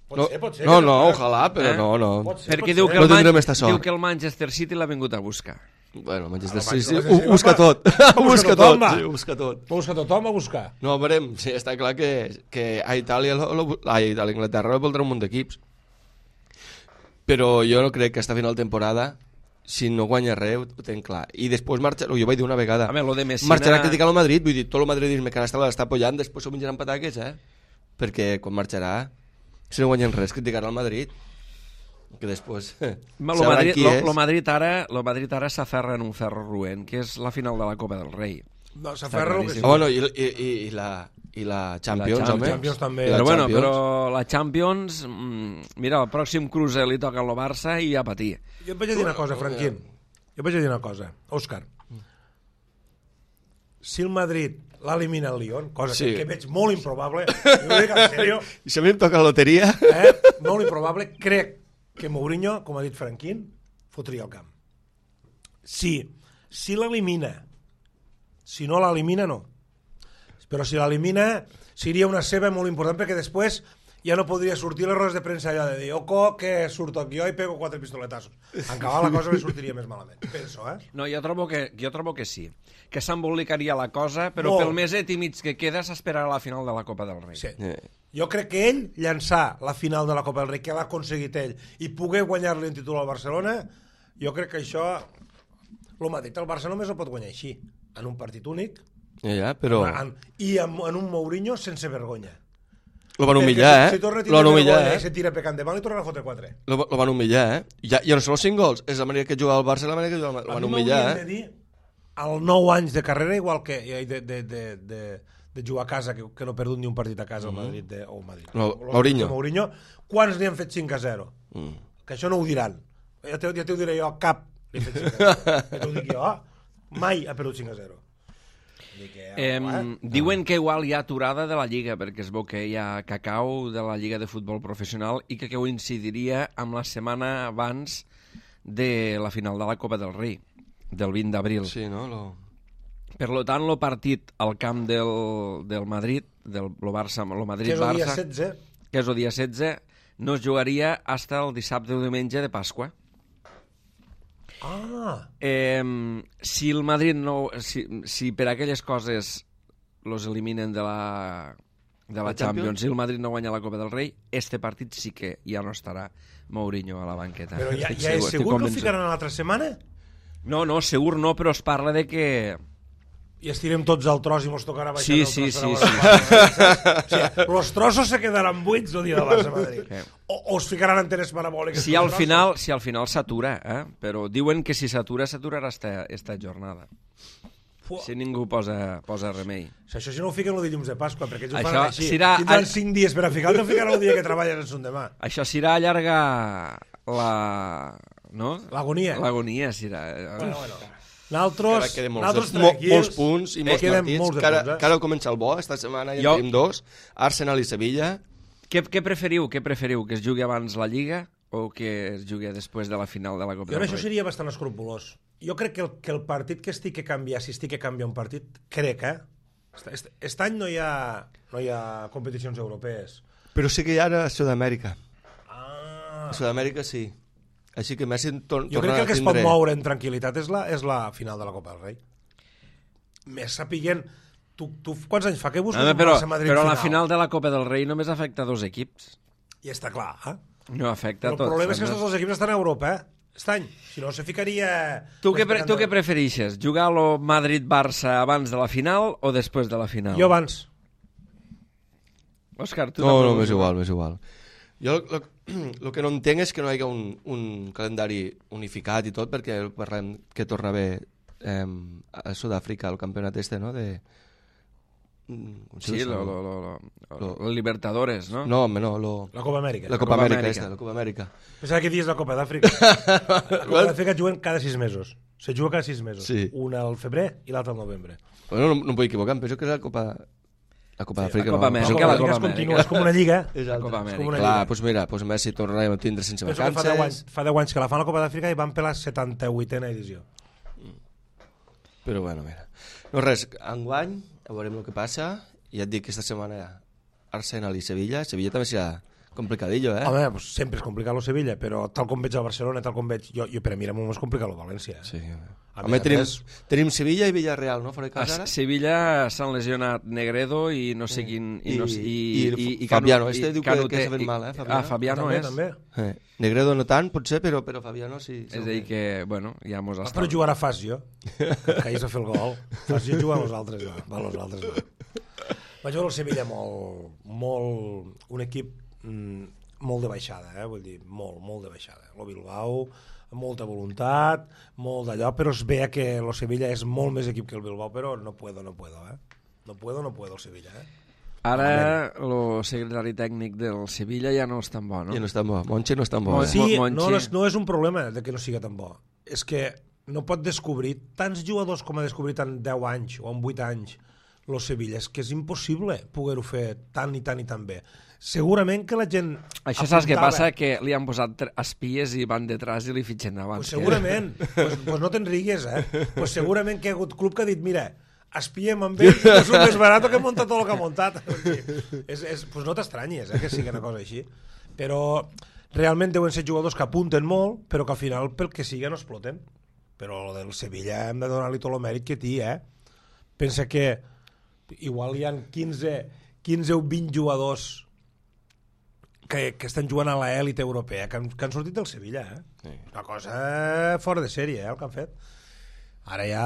Pot No, ser, pot ser. no, que no, no, ojalà, però Eh? no, no. Pot ser, Perquè pot diu ser. que, No el tindrem Man- esta sort. diu que el Manchester City l'ha vingut a buscar. Bueno, Manchester Ah, el City, Manchester ho City, busca va. tot. Ho busca tothom, tot, va. sí, ho busca tot. Va buscar tothom a buscar. No, veurem, sí, està clar que, que a Itàlia, lo, lo, a l'Anglaterra voldrà un munt d'equips. Però jo no crec que esta final de temporada, si no guanya res, ho, ho tenc clar. I després marxa, jo vaig dir una vegada, A veure, lo de Messina... marxarà a criticar el Madrid, vull dir, tot el madridisme que ara està, l'està apoyant, després s'ho menjaran pataques, eh? Perquè quan marxarà, si no guanyen res, criticarà el Madrid. Que després Ma, lo, sabran Madrid, qui lo, és. lo Madrid ara, lo Madrid ara s'aferra en un ferro roent, que és la final de la Copa del Rei. No, s'aferra el que claríssim. sí. Ah, bueno, i, i, i, i, la, i la Champions, Champions. home. Champions també. I la Però bueno, Champions. però la Champions, mm, mira, el pròxim cruce li toca al Barça i a patir. Jo et vaig a dir una cosa, Franquín. Jo et vaig a dir una cosa. Òscar, si el Madrid l'elimina el Lyon, cosa Sí. que, que veig molt improbable, jo ho dic en sèrio, I si a mi em toca la loteria... eh? molt improbable, crec que Mourinho, com ha dit Franquín, fotria el camp. Si, si l'elimina, si no l'elimina, no. Però si l'elimina, seria una ceba molt important, perquè després ja no podria sortir les rodes de premsa allò de dir oco que surto aquí jo i pego quatre pistoletazos. En acabar la cosa me sortiria més malament. Penso, eh? No, jo trobo que, jo trobo que sí, que s'embolicaria la cosa, però Molt. pel meset i mig que queda s'esperarà la final de la Copa del Rei. Sí. Eh. Jo crec que ell llançar la final de la Copa del Rei, que l'ha aconseguit ell, i poder guanyar-li un títol al Barcelona, jo crec que això... El Madrid, el Barça només ho pot guanyar així, en un partit únic, Ja, ja, però... en, i en, en un Mourinho sense vergonya. Lo van Perquè humillar, si, eh? Si torna a Lo tindre van humillar, vergonya eh? i se tira pecant de mal, li tornarà a fotre quatre. Lo, lo van humillar, eh? Ja, ja no són els cinc gols, és la manera que juga el Barça, la manera que juga el Madrid. Lo A van mi humillar, m'haurien eh? de dir als nou anys de carrera, igual que de, de, de, de, de jugar a casa, que, que no ha perdut ni un partit a casa al Madrid, de, o al Madrid. No, Los- Mourinho. Mourinho. Quants n'hi han fet cinc a zero? Mm. Que això no ho diran. Ja t'ho ja t'ho diré jo, cap. Li he fet cinc a zero. Ja t'ho dic jo. Mai ha perdut cinc a zero. Dic que, Eh, eh? diuen que igual hi ha aturada de la Lliga, perquè es veu que hi ha cacau de la Lliga de Futbol Professional i que coincidiria amb la setmana abans de la final de la Copa del Rei, del vint d'abril. Sí, no? Lo... Per lo tant, el partit al camp del, del Madrid, del lo Barça, lo Que és el dia Madrid-Barça, setze. que és el dia setze, no es jugaria fins el dissabte o diumenge de Pasqua. Ah, Eh, si el Madrid no... Si, si per aquelles coses los eliminen de la, de la La Champions, Champions? si el Madrid no guanya la Copa del Rei, este partit sí que ja no estarà Mourinho a la banqueta. però ja, Estic ja és estic segur que ho convençut. ficaran a l'altra setmana? No, no, segur no, però es parla de que... I estirem tots al tros i mos tocarà baixar Sí, el sí, tros sí, per sí, a o sigui, los trossos se quedaran buits el dia de Barça-Madrid. Sí. O, o es ficaran antenes parabòliques. Si al final si al final s'atura, eh? Però diuen que si s'atura, s'aturarà esta, esta jornada. Fuà. Si ningú posa, posa remei. Si això si no ho fiquen el dilluns de Pasqua, perquè ells ho Això fan així. serà- Tindran cinc dies per a ficar, no ficaran el dia que treballen en son demà. Això serà allargar la... No? L'agonia. L'agonia serà... Bueno, bueno. Nosaltres, Ara queden molts, nosaltres mo, tranquils. molts punts i molts queden partits. molts de que ara, punts, eh? que ara comença el bo, esta setmana ja Jo- en tenim dos, Arsenal i Sevilla. Què, què preferiu? Què preferiu? Que es jugui abans la Lliga o que es jugui després de la final de la Copa Jo en del això Rei? seria bastant escrupulós. Jo crec que el, que el partit que estic a canviar, si estic a canviar un partit, crec, eh? Est, est, est any no hi ha, no hi ha competicions europees. Però sí que hi ha ara a Sud-amèrica. Ah. A Sud-amèrica sí. Així que Messi tor Jo crec tornarà que el que a es pot tindre... moure en tranquil·litat és la, és la final de la Copa del Rei. Més sapiguent... Tu, tu quants anys fa que busques Home, un però, Barça-Madrid però final? la final de la Copa del Rei només afecta dos equips. I està clar, eh? No afecta Però a tots. el problema és que no? tots els equips estan a Europa, eh? Aquest any. Si no, se ficaria... Tu què, pre tu què preferixes? Jugar el Madrid-Barça abans de la final o després de la final? Jo abans. Òscar, tu No, també no, vols m'és jugar? igual, m'és igual. Jo el que no entenc és que no hi hagi un, un calendari unificat i tot, perquè parlem que torna a haver eh, a Sud-àfrica el campionat este, no? De... Sí, lo, lo, lo, lo, lo, lo Libertadores, ¿no? No, home, no. Lo... La Copa Amèrica. La Copa, Copa Amèrica, Amèrica. esta, la Copa Amèrica. Pensava que dies la Copa d'Àfrica. La Copa d'Àfrica juguen cada sis mesos. Se juga cada sis mesos. Sí. Una al febrer i l'altra al novembre. Bueno, no, no em vull equivocar, em penso que és la Copa... La Copa d'Àfrica. la Copa no, Amèrica. penso que la Amèrica Copa es continua, Amèrica. és com una lliga. És La altra. Copa com Amèrica. una Clar, lliga. doncs mira, doncs Messi tornarem a tindre sense Penso que fa vacances. deu anys, fa deu anys que la fan a la Copa d'Àfrica i van per la setanta-vuitena edició. Però bueno, mira. No res, enguany, a veurem el que passa. I ja et dic que esta setmana Arsenal i Sevilla. Sevilla també serà complicadillo, eh? Home, pues sempre és complicat el Sevilla, però tal com veig el Barcelona, tal com veig... Jo, jo per a mi era molt més complicat el València. Eh? Sí. A Home, més a tenim, més- tenim Sevilla i Villarreal, no? Fora de A casa, ara? Sevilla s'han lesionat Negredo i no sé quin... I, I- no sé, i, i Fabiano, este diu que- Canute- que se ven i- mal, eh, Fabiano. Ah, Fabiano també, és. també. Eh. Negredo no tant, potser, però, però Fabiano sí. És a dir que, bueno, ja mos Ah, està... però jugarà Fas, jo. Que, que ahir s'ha fet el gol. Fas, jo jugar amb els altres, no. Va, els altres, no. Va jugar el Sevilla molt, molt... Un equip mm, molt de baixada, eh? Vull dir, molt, molt de baixada. El Bilbao, amb molta voluntat, molt d'allò, però es veia que el Sevilla és molt més equip que el Bilbao, però no puedo, no puedo, eh? No puedo, no puedo, el Sevilla, eh? Ara el secretari tècnic del Sevilla ja no és tan bo, no? Ja no és tan bo. Monche no és tan bo. Mon- Eh? Sí, Monchi. no, no, és, no és un problema de que no siga tan bo. És que no pot descobrir tants jugadors com ha descobrit en deu anys o en vuit anys el Sevilla. És que és impossible poder-ho fer tan i tan i tan bé. Segurament que la gent... Això saps què apuntava- passa? Que li han posat tre- espies i van detrás i li fitxen davant. Pues segurament. pues, pues no te'n rigues, eh? Pues segurament que hi ha hagut club que ha dit, mira, espiem amb ell i és un més barat que ha muntat tot el que ha muntat. és, és, pues no t'estranyes, eh, que sigui una cosa així. Però realment deuen ser jugadors que apunten molt, però que al final pel que sigui no exploten. Però el del Sevilla hem de donar-li tot el mèrit que té, eh? Pensa que igual hi ha quinze, quinze o vint jugadors que, que estan jugant a l'elit europea, que han, que han sortit del Sevilla, eh? Sí. Una cosa fora de sèrie, eh, el que han fet. Ara ja,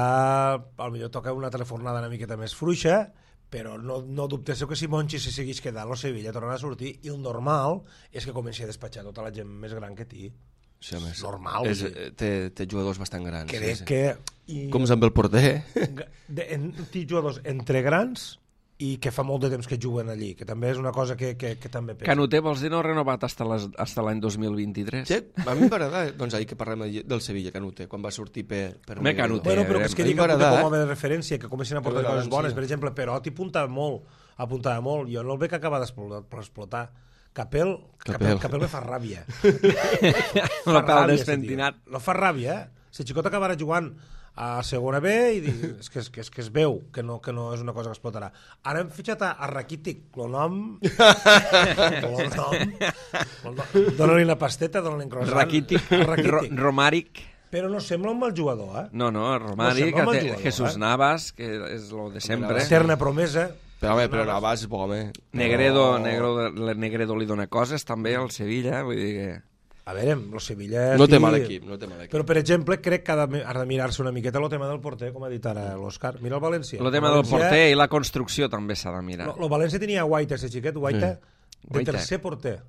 potser toca una altra fornada una miqueta més fluixa, però no, no dubteu que si Monchi se segueix quedant, el Sevilla tornarà a sortir, i el normal és que comenci a despatxar tota la gent més gran que té. Sí, home, és normal. És, vull dir. té, té jugadors bastant grans. Crec sí, sí. que... I, Com és amb el porter? de, en, té jugadors entre grans i que fa molt de temps que juguen allí, que també és una cosa que, que, que també penso. Canute, vols dir no ha renovat hasta les- hasta l'any dos mil vint-i-tres? Sí, a mi m'agrada, doncs ahir que parlem del Sevilla, Canute, quan va sortir per... per Home, Canute. Bueno, però que és que A mi dic que m'agrada, com eh? a de referència, que comencin a portar Que coses bones. sí. Per exemple, Perotti apuntava molt, apuntava molt. Jo no el veig acabar d'explotar. Capel, Capel, Capel. Capel me fa ràbia. La Fa pal ràbia, despentinat. ese tio. No fa ràbia, eh? Si Xicot acabarà jugant a segona B i di, és, que, és, que, és que es veu que no, que no és una cosa que explotarà. Ara hem fitxat a, a Rakitic, el nom... el nom... Dóna-li una pasteta, dóna-li un croissant. Rakitic, A Ro Rakitic. Romàric... Però no sembla un mal jugador, eh? No, no, Romàric, No sembla mal que té jugador, Jesús eh? Navas, que és lo de sempre. Eterna promesa. Però, home, però Navas és bo, home. Negredo, No. Negredo, Negredo li dona coses també al Sevilla, vull dir que... A veure, el Sevilla... No té sí, mal equip, no té mal equip. Però, per exemple, crec que ha de, ha de mirar-se una miqueta el tema del porter, com ha dit ara l'Òscar. Mira el València. El tema del porter i la construcció també s'ha de mirar. El València tenia Guaita, ese xiquet, Guaita, de Guaita. tercer porter.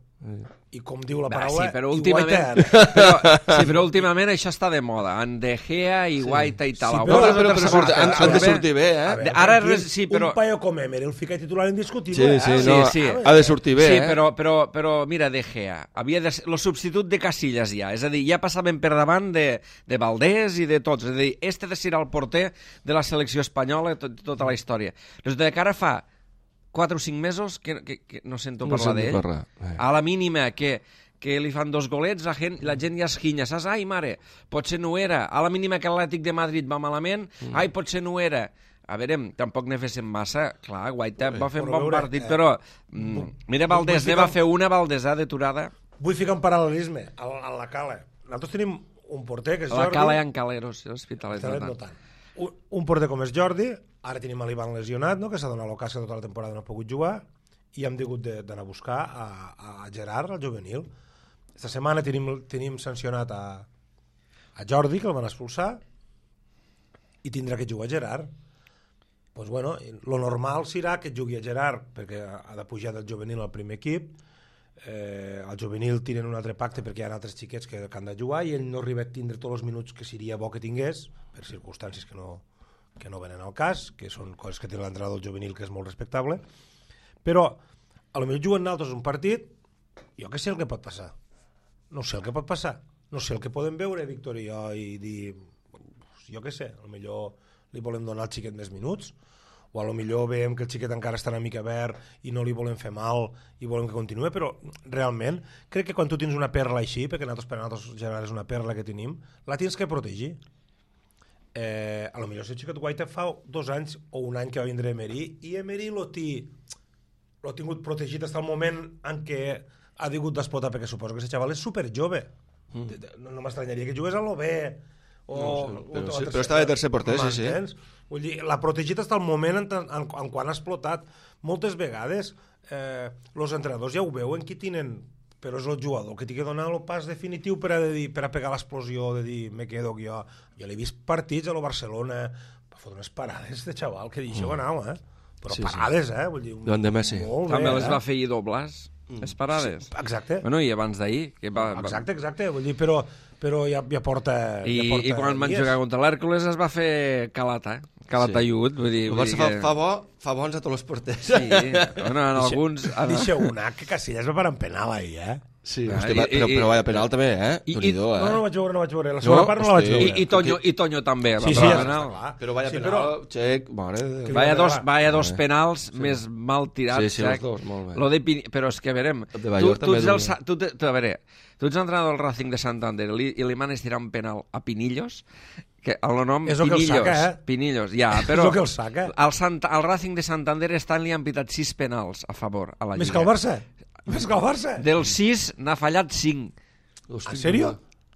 I com diu la Va, paraula... sí, però i últimament, Guaita- però, sí, però últimament això està de moda. En De Gea i Guaita i tal. Sí, No, però- però, però, però surt, han, han de sortir bé, A eh? veure, Ara tranquil, res- sí, però- Un paio com Emer, el fica titular indiscutible. Sí, eh? sí, Sí, no, sí. ha de sortir bé, sí, eh? però, però, però mira, De Gea havia de ser el substitut de Casillas ja, és a dir, ja passaven per davant de, de Valdés i de tots, és a dir, este de ser el porter de la selecció espanyola tot, tota la història. Resulta que ara fa quatre o cinc mesos que, que, que no sento No parlar sento d'ell. parlar, eh. A la mínima que, que li fan dos golets, la gent, la gent ja es quinya, saps? Ai, mare, potser no era. A la mínima que l'Atlètic de Madrid va malament, mm. ai, potser no era. A veure, tampoc ne féssim massa. Clar, Guaita va fer un Però bon veure, partit, eh, però... Mm, mira, Valdés, vull ne va ficar- fer una, Valdés, eh, deturada. Vull ficar un paral·lelisme a, a la Cala. Nosaltres tenim un porter que és A la Jordi... Cala hi ha Caleros, l'Hospitalet Hospitalet no no tant. tant. Un, un porter com és Jordi, ara tenim l'Ivan lesionat, no? Que s'ha donat l'ocàs que tota la temporada no ha pogut jugar, i hem hagut de- d'anar a buscar a, a Gerard, al juvenil. Esta setmana tenim, tenim sancionat a, a Jordi, que el van expulsar, i tindrà que jugar Gerard. Pues bueno, lo normal serà que jugui a Gerard, perquè ha de pujar del juvenil al primer equip. Eh, al juvenil tiren un altre pacte perquè hi ha altres xiquets que, que han de jugar i ell no arriba a tindre tots els minuts que seria bo que tingués, per circumstàncies que no, que no venen al cas, que són coses que té l'entrenador del juvenil, que és molt respectable. Però a lo millor juguen altres un partit, jo que sé el que pot passar. No sé el que pot passar. No sé el que podem veure, Víctor i jo, i dir, jo que sé, a lo millor li volem donar al xiquet més minuts, o a lo millor veiem que el xiquet encara està una mica verd i no li volem fer mal i volem que continuï, però realment crec que quan tu tens una perla així, perquè nosaltres per a nosaltres general és una perla que tenim, la tens que protegir. Eh, a lo millor si el xiquet Guaita fa dos anys o un any que va vindre Emery, i Emery l'ha tingut protegit fins al moment en què ha tingut d'explotar, perquè suposo que aquest xaval és superjove. Mm. No, no m'estranyaria que jugués a l'O B o, no, sí, o, però, o sí, però estava de tercer porter, sí, sí. Vull dir, l'ha protegit fins al moment en, en, en quan ha explotat. Moltes vegades eh, els entrenadors ja ho veuen qui tenen, però és el jugador que t'hi que donar el pas definitiu per a, de dir, per a pegar l'explosió, de dir, me quedo jo. Jo l'he vist partits a lo Barcelona, va fotre unes parades de xaval que deixeu anar, eh? Però sí, parades, sí. eh? Vull dir, Joan de Messi. També bé, les eh? va fer i doblars. Mm. Les parades. Sí, exacte. Bueno, i abans d'ahir. Que va, va... Exacte, exacte. Vull dir, però, però ja, ja porta... I, ja porta i quan van jugar contra l'Hèrcules es va fer calata, eh? Calataiut. Vull dir, el vull Barça dir que... fa, fa, bo, fa bons a tots els porters. Sí, bueno, en alguns... Deixa una, que Casillas va parar en penal ahir, eh? Sí, ah, hosti, i, però, i, però vaya penal també, eh? I, Déu-n'hi-do, eh? No, no, no vaig veure, no vaig veure. La segona No, part no la vaig hosti. veure. I, i, Toño, I Toño també. Sí, va sí, parar ja penal. està clar. Però vaya Sí, penal, però... xec, mare de Déu. Vaya dos, va. vaya dos Eh. penals Sí. més mal tirats. Sí, sí, els Xac. dos, molt bé. Lo de Pini... Però és que, a veure, El de tu, Bayor tu, també ets és el, un- sa- tu, te- tu, a veure, tu ets entrenador del Racing de Santander li, i li manes tirar un penal a Pinillos, que el nom És el que el Pinillos, saca, eh? Pinillos, ja, És però el que el saca. al, Santa, al Racing de Santander estan li han pitat sis penals a favor a la Més Lliga. que el Barça? Més que el Barça? Dels sis n'ha fallat cinc. Hosti, En sèrio?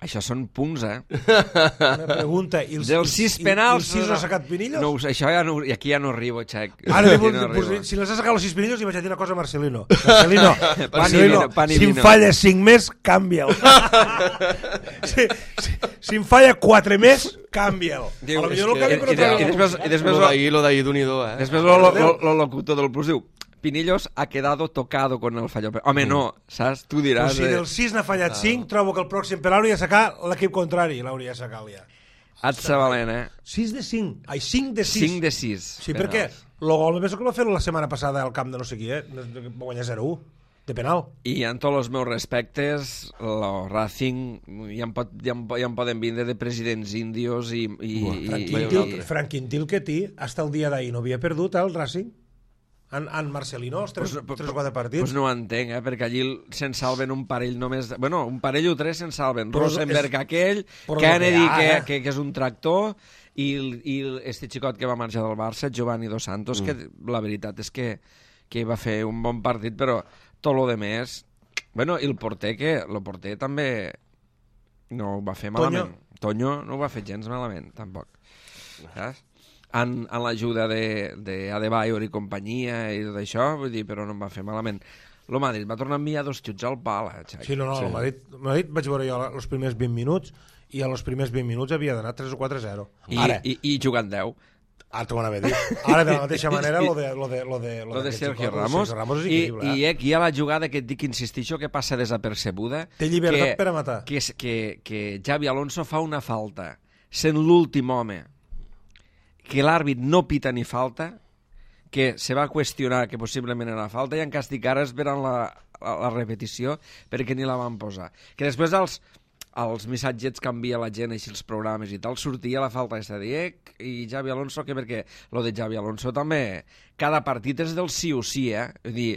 Això són punts, eh? Una pregunta. I els, Dels sis penals... I, i els sis no ha sacat Pinillos? No, ho sé, això ja no, i aquí ja no arribo, Xac. Ara li Aquí vull, no pues, arribo. si les has sacat els sis Pinillos, li vaig a dir una cosa a Marcelino. Marcelino, Pan i Marcelino vino, pan i si em vino. falla cinc més, canvia'l. si, si, si em falla quatre més, canvia'l. Diu, A lo és millor no que- canvia, i- però i- treu- i després- i després- Lo d'ahir, lo d'ahir, Déu-n'hi-do, eh? Després lo, lo, lo, lo locutor del Plus diu Pinillos ha quedado tocado con el fallo. Home, no, saps? Tu Però diràs... si dels sis n'ha fallat cinc, trobo que el pròxim penal hauria de sacar l'equip contrari. L'hauria de sacar ja. Et sa valent, eh? sis de cinc. Ai, cinc de sis. cinc de sis. Sí, perquè el gol penso que el va fer la setmana passada al camp de no sé qui, eh? Va guanyar zero a u, de penal. I en tots els meus respectes, el Racing ja em, pot, ja em, ja em poden vindre de presidents índios i... i, Buah, i, Franquin, i, Til, Franquin Tilketi, hasta el dia d'ahir no havia perdut el Racing. En, en Marcelino, els tres, Pues- tres o quatre partits. Pues no ho entenc, eh? Perquè allí se'n salven un parell només... de- Bueno, un parell o tres se'n salven. Però Rosenberg és- aquell, però Kennedy, lo que hi ha, que, eh? que, que és un tractor, i, el- i el- este xicot que va marxar del Barça, Giovanni Dos Santos, mm. que la veritat és que, que va fer un bon partit, però tot lo de més... Bueno, i el porter, que el porter també no ho va fer malament. Toño, Toño no ho va fer gens malament, tampoc. Saps? En, en l'ajuda d'Adebayor i companyia i tot això, vull dir, però no em va fer malament. El Madrid va tornar a enviar dos xuts al pal, eh, Xac? Sí, no, no, sí. El Madrid, el Madrid vaig veure jo els primers vint minuts i a els primers vint minuts havia d'anar tres o quatre a zero. I, Ara, i, i jugant deu. ara t'ho van haver dit. Ara, de la mateixa manera, lo de, lo de, lo de, Lo de d'aquest Sergio xicot, Ramos. Sergio Ramos és I, increïble, i eh? aquí hi ha la jugada que et dic, insistixo, que passa desapercebuda. Té llibertat que, per a matar. Que, és- que, que Xavi Alonso fa una falta, sent l'últim home, que l'àrbit no pita ni falta, que se va qüestionar que possiblement era falta i en cas ara esperen la, la, la repetició perquè ni la van posar. Que després els, els missatgets canvia la gent, així els programes i tal, sortia la falta aquesta de Diec i Xavi Alonso, que perquè lo de Xavi Alonso també, cada partit és del sí o sí, eh? Vull dir,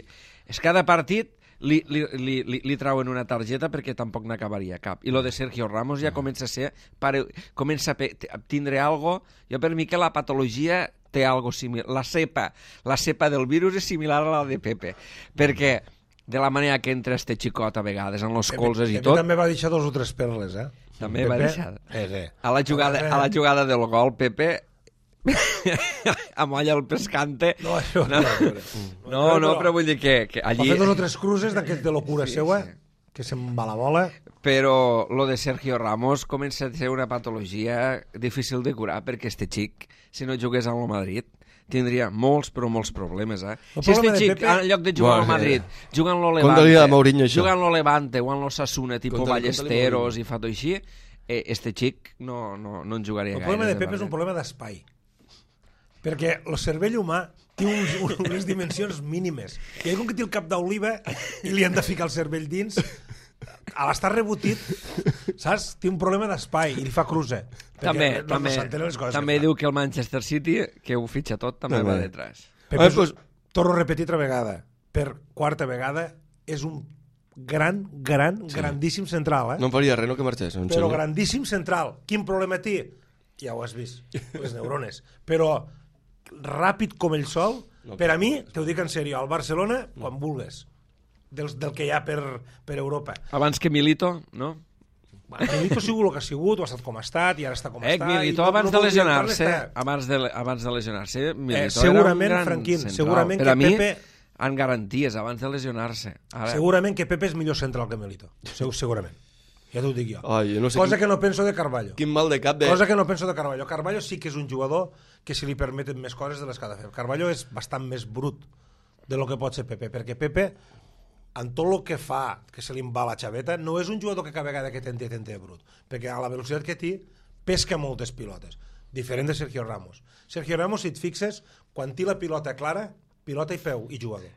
és cada partit li, li, li, li, li trauen una targeta perquè tampoc n'acabaria cap. I lo de Sergio Ramos ja comença a ser, pare, comença a, pe, a tindre algo, jo per mi que la patologia té algo similar, la cepa, la cepa del virus és similar a la de Pepe, perquè de la manera que entra este xicot a vegades en los colzes i Pepe tot, també va deixar dos o tres perles, eh? també va Pepe, deixar. Eh, sí. A la jugada, a la jugada del gol, Pepe amolla el pescante. No, això no. No, no, però vull dir que, que Va allí... fer dos o tres cruces d'aquest de locura Sí, seua, sí. que se'n va la bola. Però lo de Sergio Ramos comença a ser una patologia difícil de curar, perquè este xic, si no jugués al Madrid, tindria molts, però molts problemes, eh? El Si este problema de xic, Pepe- en lloc de jugar al Bueno, Madrid, juga en lo Conta-li a Levante, Mourinho això. juga en lo Levante o en lo Sasuna, tipus Conta-li- Ballesteros conta-li i fato així, eh, este xic no, no, no en jugaria El gaire. problema de Pepe és un problema d'espai. Perquè el cervell humà té uns, unes dimensions mínimes. I ell, com que té el cap d'oliva i li han de ficar el cervell dins, a l'estar rebotit, saps? Té un problema d'espai i li fa cruce. També, no, també, no s'entenen les coses també que fa. diu que el Manchester City, que ho fitxa tot, també També. va detrás. Pepe, Ah, pues- torno a repetir altra vegada, per quarta vegada, és un gran, gran, sí. grandíssim central, eh? No em faria res, no, que marxés. En Però sèrio. grandíssim central. Quin problema té? Ja ho has vist, les neurones. Però ràpid com ell sol, No, per a mi, t'ho dic en sèrio, al Barcelona, quan vulgues, del, del que hi ha per, per Europa. Abans que Milito, no? Bueno, Milito ha sigut el que ha sigut, o ha estat com ha estat, i ara està com Eh, està. Milito i no- abans no de voldria lesionar-se, entrar-ne, està. abans de, abans de lesionar-se, Milito Eh, segurament, era un gran Franquín, central. segurament per que a mi, Pepe- en garanties, abans de lesionar-se. Ara, Segurament que Pepe és millor central que Milito. Segur, segurament. Ja t'ho dic jo. Ai, jo no sé Cosa quin, que no penso de Carballo. quin mal de cap de... Cosa que no penso de Carballo. Carballo sí que és un jugador que se li permeten més coses de les que ha de fer. Carballo és bastant més brut de lo que pot ser Pepe, perquè Pepe, en tot el que fa, que se li va la xaveta, no és un jugador que cada vegada que tente, tente brut, perquè a la velocitat que té, pesca moltes pilotes, diferent de Sergio Ramos. Sergio Ramos, si et fixes, quan té la pilota clara, pilota i peu, i jugador.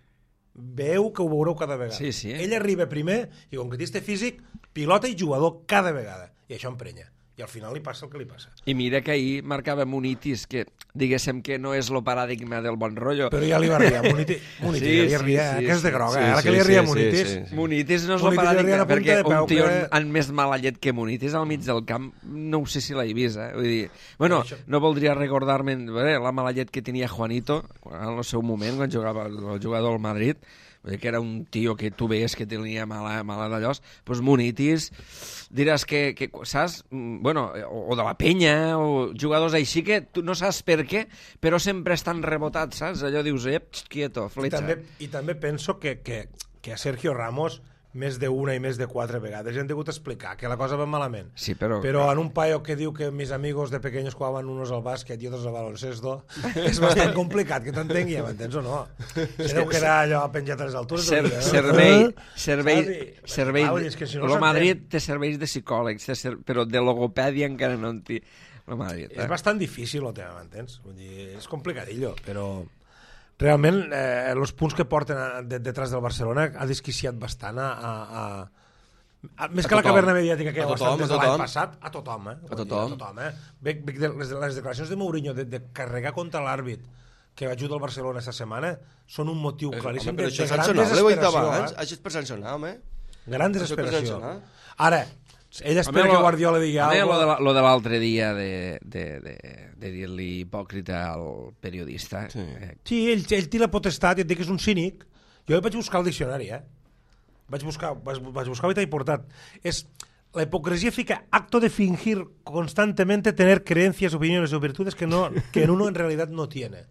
Veu que ho veureu cada vegada. Sí, sí. Ell arriba primer, i com que té este físic, pilota i jugador cada vegada, i això emprenya. I al final li passa el que li passa. I mira que ahir marcava Munitis, que diguéssim que no és el paradigma del bon rotllo. Però ja li va riar, Munitis, Munitis Sí, ja li sí, ria, sí, que és de sí, groga, sí, eh? ara sí, que li ria sí, Munitis. sí, sí. Munitis no és el Munitis li paradigma, ria la punta perquè de peu, un tio que- amb més mala llet que Munitis al mig del camp, no ho sé si l'he vist, eh? Vull dir, bueno, Això- no voldria recordar-me eh, la mala llet que tenia Juanito en el seu moment, quan jugava el jugador al Madrid, vull dir que era un tio que tu veies que tenia mala, mala d'allòs, doncs Munitis, diràs que, que saps? Mm, Bueno, o, o de la penya, o jugadors així que tu no saps per què, però sempre estan rebotats, saps? Allò dius, ep, quieto, I fletxa. també, I també penso que, que, que a Sergio Ramos més d'una i més de quatre vegades ja han degut explicar que la cosa va malament. Sí, però... Però en un paio que diu que mis amigos de pequeños jugaban unos al básquet y otros al baloncesto, és bastant complicat que t'entengui, m'entens o no? Se deu quedar allò penjat a les altures. Ser, del dia, no? servei, Eh? servei, Saps? servei, Ah, vull dir, és que si no lo s'entén. Madrid té serveis de psicòlegs, té ser, però de logopèdia encara no en té. Lo Madrid, eh? És bastant difícil el tema, m'entens? Vull dir, és complicadillo, però realment eh, els punts que porten a, de, detrás del Barcelona ha desquiciat bastant a... a, a, a més A que la tothom. caverna mediàtica que hi A ha tothom, bastant des a de l'any tothom. passat, a tothom, eh? Vull A dir, tothom. a tothom, eh? Ve, ve, de, les, les declaracions de Mourinho de, de carregar contra l'àrbit que ajuda el Barcelona esta setmana són un motiu Eh, claríssim home, però de, això de és gran sancionable, ho he dit desesperació. abans. Eh? Això és per sancionar, home. Gran Això és per desesperació. sancionar. Ara, ell espera que Guardiola digui a mi alguna lo de, cosa... la- lo de l'altre dia de, de, de, de dir-li hipòcrita al periodista. Sí. Eh, Sí, ell, ell té la potestat i et dic que és un cínic. Jo vaig buscar el diccionari, eh? Vaig buscar, vaig, vaig buscar i t'he portat. És, la hipocresía fica acto de fingir constantemente tener creencias, opiniones o virtudes que, no, que en uno en realidad no tiene.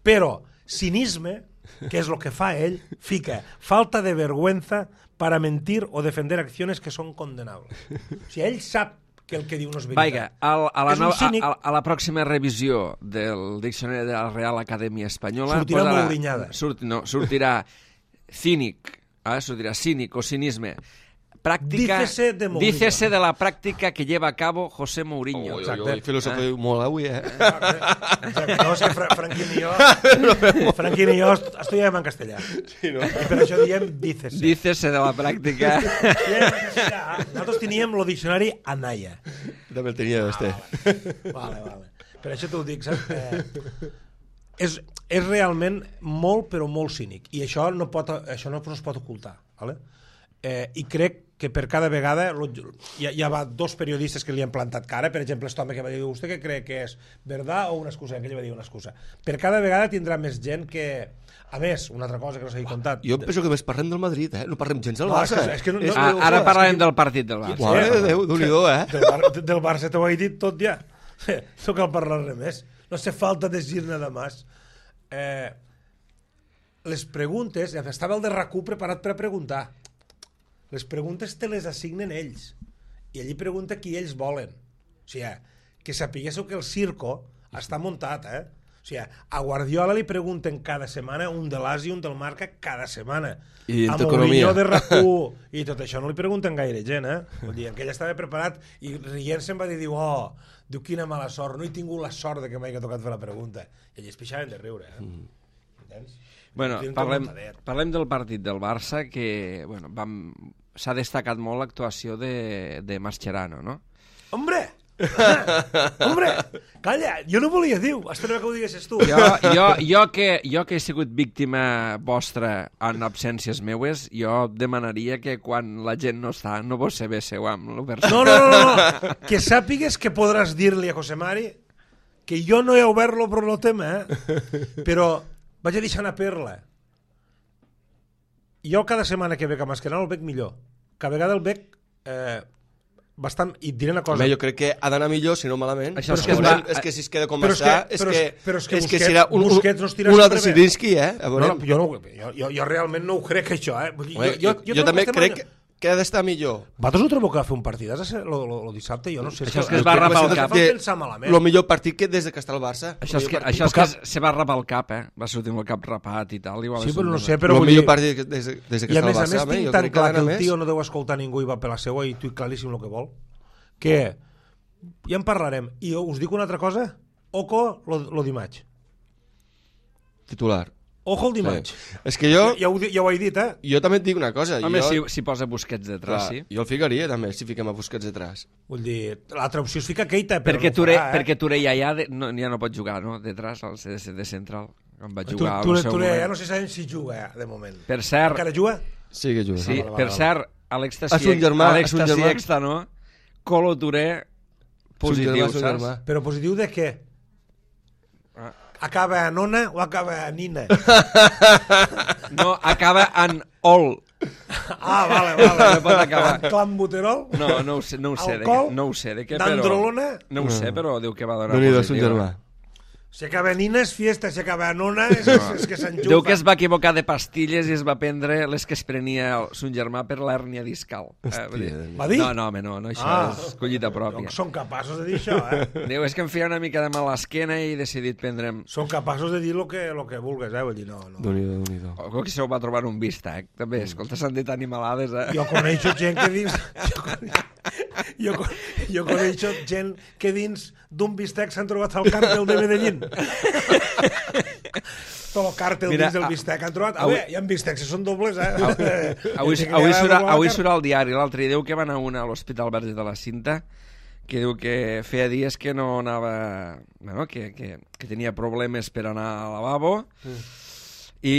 Pero cinisme, que es lo que fa ell, fica falta de vergüenza para mentir o defender acciones que son condenables. O sigui, ell sap que el que diu no és veritat. Vaiga, al, a, la És un nova, cínic. a, a la pròxima revisió del diccionari de la Real Acadèmia Espanyola... Sortirà posarà- Mouriñada. Surt, no, sortirà cínic, eh? sortirà cínic o cinisme. Práctica, Dícese de Mourinho. dícese de la práctica que lleva a cabo José Mourinho. Ui, ui, Exacte. ui, filosofia molt avui, eh? Exacte. No, és que Fra Franquín i jo... Franquín i jo est- estudiàvem en castellà. Sí, no? I per això diem dícese. Dícese de la práctica... Estudiàvem en castellà. Nosaltres teníem el diccionari Anaya. També el tenia, este. Vale, vale. Per això t'ho dic, saps? Eh, és, és realment molt, però molt cínic. I això no, pot, això no es pot ocultar. Vale? Eh, I crec que per cada vegada lo- hi ha, hi ha va dos periodistes que li han plantat cara, per exemple, este home que va dir, vostè què cree que és verdad o una excusa? Aquell va dir una excusa. Per cada vegada tindrà més gent que... A més, una altra cosa que no s'ha contat. Jo penso que més parlem del Madrid, eh? No parlem gens del No, Barça. és que- és que no- no- Ah, no, ara és parlarem que- del partit del Barça. Mare de Déu, Déu-n'hi-do, eh? Del, Bar del Barça t'ho he dit tot ja. No cal parlar res més. No hace falta decir nada más. Eh, les preguntes... Estava el de RAC u preparat per a preguntar. Les preguntes te les assignen ells. I allí pregunta qui ells volen. O sigui, que sapiguéssiu que el circo està muntat, eh? O sigui, a Guardiola li pregunten cada setmana un de l'As i un del Marca cada setmana. I en a t'economia. Mourinho de R A C u i tot això no li pregunten gaire gent, eh? Vull dir, que ell estava preparat i rient se'n va dir, diu, oh, diu, quina mala sort, no he tingut la sort de que m'hagi tocat fer la pregunta. I allí es pixaven de riure, eh? Mm. Entens? Bueno, parlem, parlem del partit del Barça, que bueno, vam, s'ha destacat molt l'actuació de, de Mascherano, no? Hombre! Ah, hombre! Calla, jo no volia dir, esperava que ho diguessis tu. Jo, jo, jo, que, jo que he sigut víctima vostra en absències meues, jo demanaria que quan la gent no està, no vos se bésseu amb l'Obersa. No, no, no, no, que sàpigues que podràs dir-li a José Mari que jo no he obert-lo per el tema, eh? Però vaig a deixar una perla. Jo cada setmana que veig a Mascherano el veig millor. Cada vegada el veig eh, bastant... I et diré una cosa... Home, jo crec que ha d'anar millor, si no malament. Això és, és que que es va... és que si es queda com Però és està, que- és però que, és- però és que és que Busquets- serà un, Busquets no es tira un sempre altre bé. Zidinski, eh? A No, veure. no, jo, no, jo, jo, jo realment no ho crec, això, eh? Vull dir, Home, jo, jo, jo, trobo també que estem crec en- que ha d'estar millor. Vosaltres no trobeu que va fer un partidàs el dissabte? Jo no sé. Això és que el es va que rapar el em cap. fa pensar malament. El millor partit que des de que està el Barça. Això és que, això és que se va rapar el cap, eh? Va sortir amb el cap rapat i tal. Igual Sí, és però un no tema. sé, però El vull millor dir... partit que- des, de- des de que I a està el més a Barça. més home, tinc jo tan crec que clar ha que d'anar el més. tio no deu escoltar ningú i va per la seua i tu claríssim el que vol. Que ja en parlarem. I us dic una altra cosa. Oco lo, lo dimarts. Titular. Ojo el dimarts. Sí. És que jo, Ja, ja, ho, di- ja ho he dit, eh? jo també et dic una cosa. Home, jo, si, si posa Busquets detrás, clar, sí. jo el ficaria també, si fiquem a Busquets detrás. Vull dir, l'altra opció és ficar Keita, però Perquè no Touré, farà, eh? perquè Touré ja, ja, de, no, ja no pot jugar, no? Detrás, al C D C de central. On va Tu, jugar tu, al seu tu, ja moment. no sé sabem si juga, eh, de moment. Per cert, Encara juga? Sí que juga. sí, vale, vale, per vale. cert, Àlex Ah, son Tassiek, germà, Àlex son germà. Tassiek està, no? Colo Touré, positiu, germà, son saps? germà. Però positiu de què? Ah. Acaba a nona o acaba a nina? No, acaba en ol. Ah, vale, vale. No pot acabar. Clambuterol? No, no ho sé, no ho sé, de què, Alcohol? no ho sé de què, però... D'androlona? No ho sé, però diu que va donar Déu-n'hi-do, son positiu. germà. Si acaba a nina és fiesta, si acaba a nona és, és, és que s'enxufa. Diu que es va equivocar de pastilles i es va prendre les que es prenia el, son germà per l'hèrnia discal. Eh, vull dir- Va dir? No, no, home, no, no això Ah. és collita pròpia. Són capaços de dir això, eh? Diu, és que em feia una mica de mal a l'esquena i he decidit prendre'm... Són capaços de dir el que, lo que vulgues, eh? Vull dir, no, no. Déu-n'hi-do, Déu-n'hi-do. O que se ho va trobar un bistec, també. Escolta, s'han dit animalades, eh? Jo coneixo gent que dins... Jo coneixo, jo, con- jo coneixo gent que dins d'un bistec s'han trobat el càrtel de Medellín. Tot el càrtel Mira, dins del a- bistec han trobat... A avui- veure, hi ha bistecs que són dobles, eh? Avui, Dice que avui, ja surt, doblar avui la surt al diari, l'altre diu que va anar una a l'Hospital Verge de la Cinta, que diu que feia dies que no anava... Bueno, que, que, que tenia problemes per anar al lavabo mm. i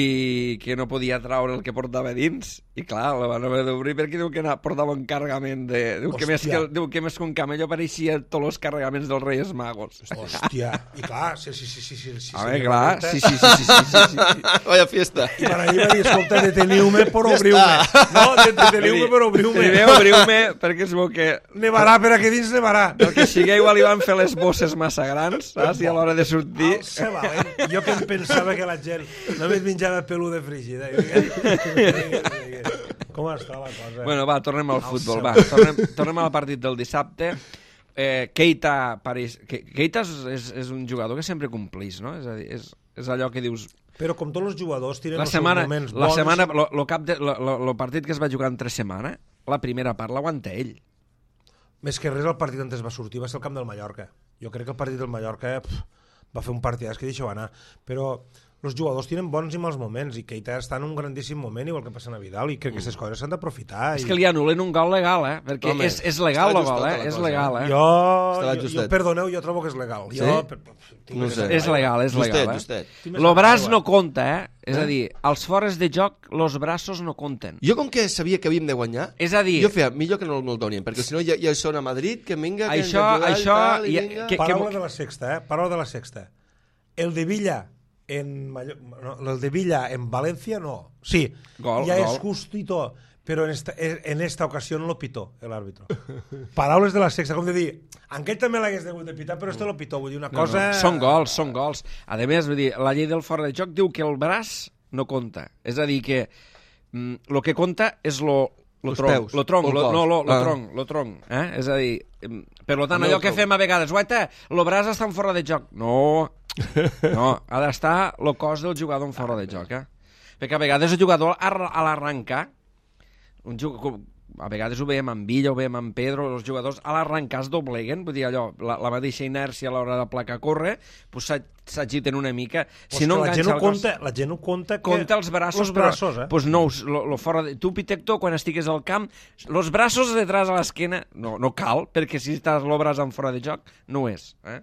que no podia traure el que portava dins. I clar, la van haver d'obrir perquè diu que anava, portava un carregament de... Diu que, més que, diu que més que un camello apareixia tots els carregaments dels Reis Magos. Hòstia, i clar, sí, sí, sí, sí, sí, sí, A sí, veure, sí, clar, sí, sí, sí, sí, sí, sí, sí, sí. Vaya fiesta. I per allà va dir, escolta, deteniu-me per obrir-me. No, deteniu-me per obrir-me. Primer obriu-me perquè es veu que Nevarà per aquí dins, nevarà. el que sigui igual li van fer les bosses massa grans, saps? I a l'hora de sortir... Alça valent. Jo que em pensava que la gent només menjava pelú de frígida. I digues, com està la cosa? Bueno, va, tornem al Al futbol, seu. va. Tornem, tornem al partit del dissabte. Eh, Keita, París... Ke- Keita és, és, és un jugador que sempre complís, no? És a dir, és, és allò que dius... Però com tots els jugadors tenen La els seus setmana, moments la bons. setmana, lo, lo, cap de, lo, lo, lo partit que es va jugar entre setmana, la primera part l'aguanta ell. Més que res, el partit on es va sortir va ser el camp del Mallorca. Jo crec que el partit del Mallorca pff, va fer un partidàs que deixeu anar. Però els jugadors tenen bons i mals moments i Keita està en un grandíssim moment, igual que passa a Vidal, i crec que aquestes coses s'han d'aprofitar. És i... que li anulen un gol legal, eh? Perquè Home, és, és legal estava el gol, justeta eh? la És cosa, legal, eh? Jo, Estava jo, jo, justet. perdoneu, jo trobo que és legal. Sí? Jo, per, per, tinc No més sé. aigua. És legal, és Justet, legal, eh? justet. Tinc més Lo braç aigua. no compta, eh? És a dir, als fores de joc, los braços no compten. Jo com que sabia que havíem de guanyar, És a dir, jo feia millor que no me'l donien, perquè si no ja, ja són a Madrid, que vinga, que Això- hem de jugar això i tal, i ja- vinga. que- Paraula de la sexta, eh? Paraula de la sexta. El de Villa en Mallo... no, el de Villa en Valencia no. Sí, Gol, ya gol. es justito, pero en esta, en esta ocasión lo pitó el árbitro. Paraules de la sexta, com de dir, en aquell també l'hagués degut de pitar, però este lo pitó, vull dir una no, cosa... no, són gols, són gols. A més, vull dir, la llei del fora de joc diu que el braç no compta. És a dir, que mm, lo que compta és lo, Lo Els tronc, peus, lo tronc, o el lo, cos. no, lo, lo Ah. tronc, lo tronc, eh? És a dir, em, per lo tant, També allò el que tronc. fem a vegades, guaita, lo braç està en fora de joc. No, no, ha d'estar el cos del jugador en fora de joc, eh? Perquè a vegades el jugador a a l'arrencar, un jugador, a vegades ho veiem amb Villa, ho veiem amb Pedro, els jugadors a l'arrencar es dobleguen, vull dir allò, la, la mateixa inèrcia a l'hora de placar córrer, pues s'agiten una mica. Pues Si no que la gent enganxa no el cos... compta, la gent no compta que... Compta els braços, els braços, però, eh? pues no, lo, lo fora de... Tu, Pitecto, quan estigues al camp, los braços detrás a l'esquena, no, no cal, perquè si estàs el braç en fora de joc, no ho és. Eh?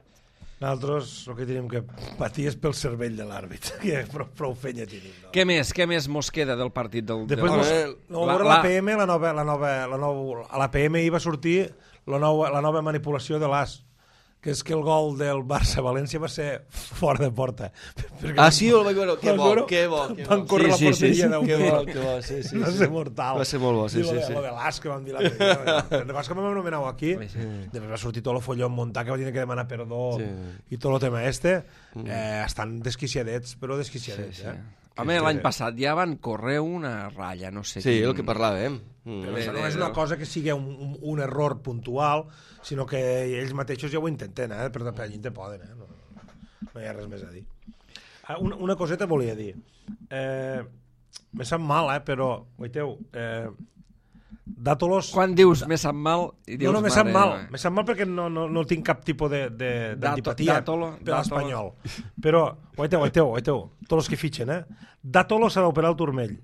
Nosaltres el que tenim que patir és pel cervell de l'àrbit, que prou, prou fenya tenim. No? Què més? Què més mos queda del partit del... Després del... mos, del- no, la- la, la- la P M, la nova, la nova, la nova, a la P M hi va sortir la nova, la nova manipulació de l'As, que és que el gol del Barça-València va ser fora de porta. Perquè Ah, sí, el vaig veure. Que Van bo, veure- que bo, que Van bo. córrer Sí, la sí, sí, porteria sí. d'un Que bo, gol. que bo, sí, sí. Va sí. ser mortal. Va ser molt bo, sí, I lo sí, de, sí. Lo de l'As que vam dir l'altre dia. Recordes que vam anomenar aquí? Sí. Després va sortir tot el folló muntat que va tenir que demanar perdó Sí. i tot el tema este. Eh, estan desquiciadets, però desquiciadets. Sí, sí. Eh? Home, l'any passat ja van córrer una ratlla, no sé Sí, quin- el que parlàvem. Mm. Però Bé, això no bé, és una no. cosa que sigui un, un, un error puntual, sinó que ells mateixos ja ho intenten, eh? però de pellint te poden, eh? no, no hi ha res més a dir. Ah, una, una coseta volia dir. Eh, me sap mal, eh? però, guaiteu, eh, Dàtolos... Quan dius me sap mal... I dius, No, no, me sap mare mal. meva. Me sap mal perquè no, no, no tinc cap tipus de- de- Dato- d'antipatia Dátolo, per l'espanyol. Dátolo. Però, guaiteu, guaiteu, guaiteu, tots els que fitxen, eh? Dátolo s'ha d'operar el turmell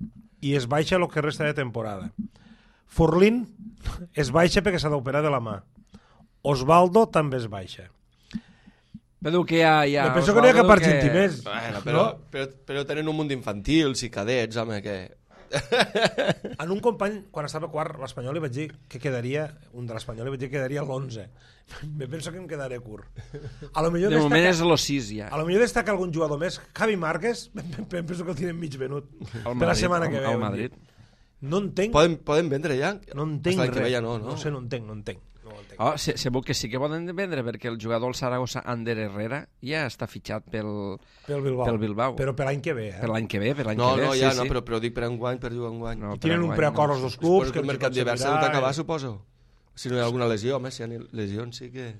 i es baixa el que resta de temporada. Forlín es baixa perquè s'ha d'operar de la mà. Osvaldo també es baixa. Però que ja... ja Me penso que no hi ha cap Osvaldo, argentí més. Bueno, però, No? però, però tenen un munt d'infantils i cadets, home, que... En un company, quan estava quart, l'Espanyol li vaig dir que quedaria, un de l'Espanyol li vaig dir que quedaria l'onze. Me penso que em quedaré curt. A lo millor De moment és destaca, lo sis ja. a lo millor destaca algun jugador més. Javi Márquez, em penso que el tenen mig venut. Al Per la Madrid, setmana que al- ve. al vull Madrid. dir. No entenc, Poden, poden vendre ja? no entenc Hasta l'any que res. ve ja no, no? No sé, no entenc, no entenc. No ho entenc. Oh, se- segur que sí que poden vendre, perquè el jugador del Saragossa, Ander Herrera, ja està fitxat pel, Pel Bilbao. pel Bilbao. Però per l'any que ve, eh? per l'any que ve, per l'any No, que ve. no, sí, ja, sí. no, però, però dic per enguany, per jugar enguany. No, I per tenen un enguany preacord no. els dos clubs. Suposo que el mercat d'hivern s'ha d'acabar, suposo. Si no hi ha alguna lesió, home, si hi ha lesions sí que...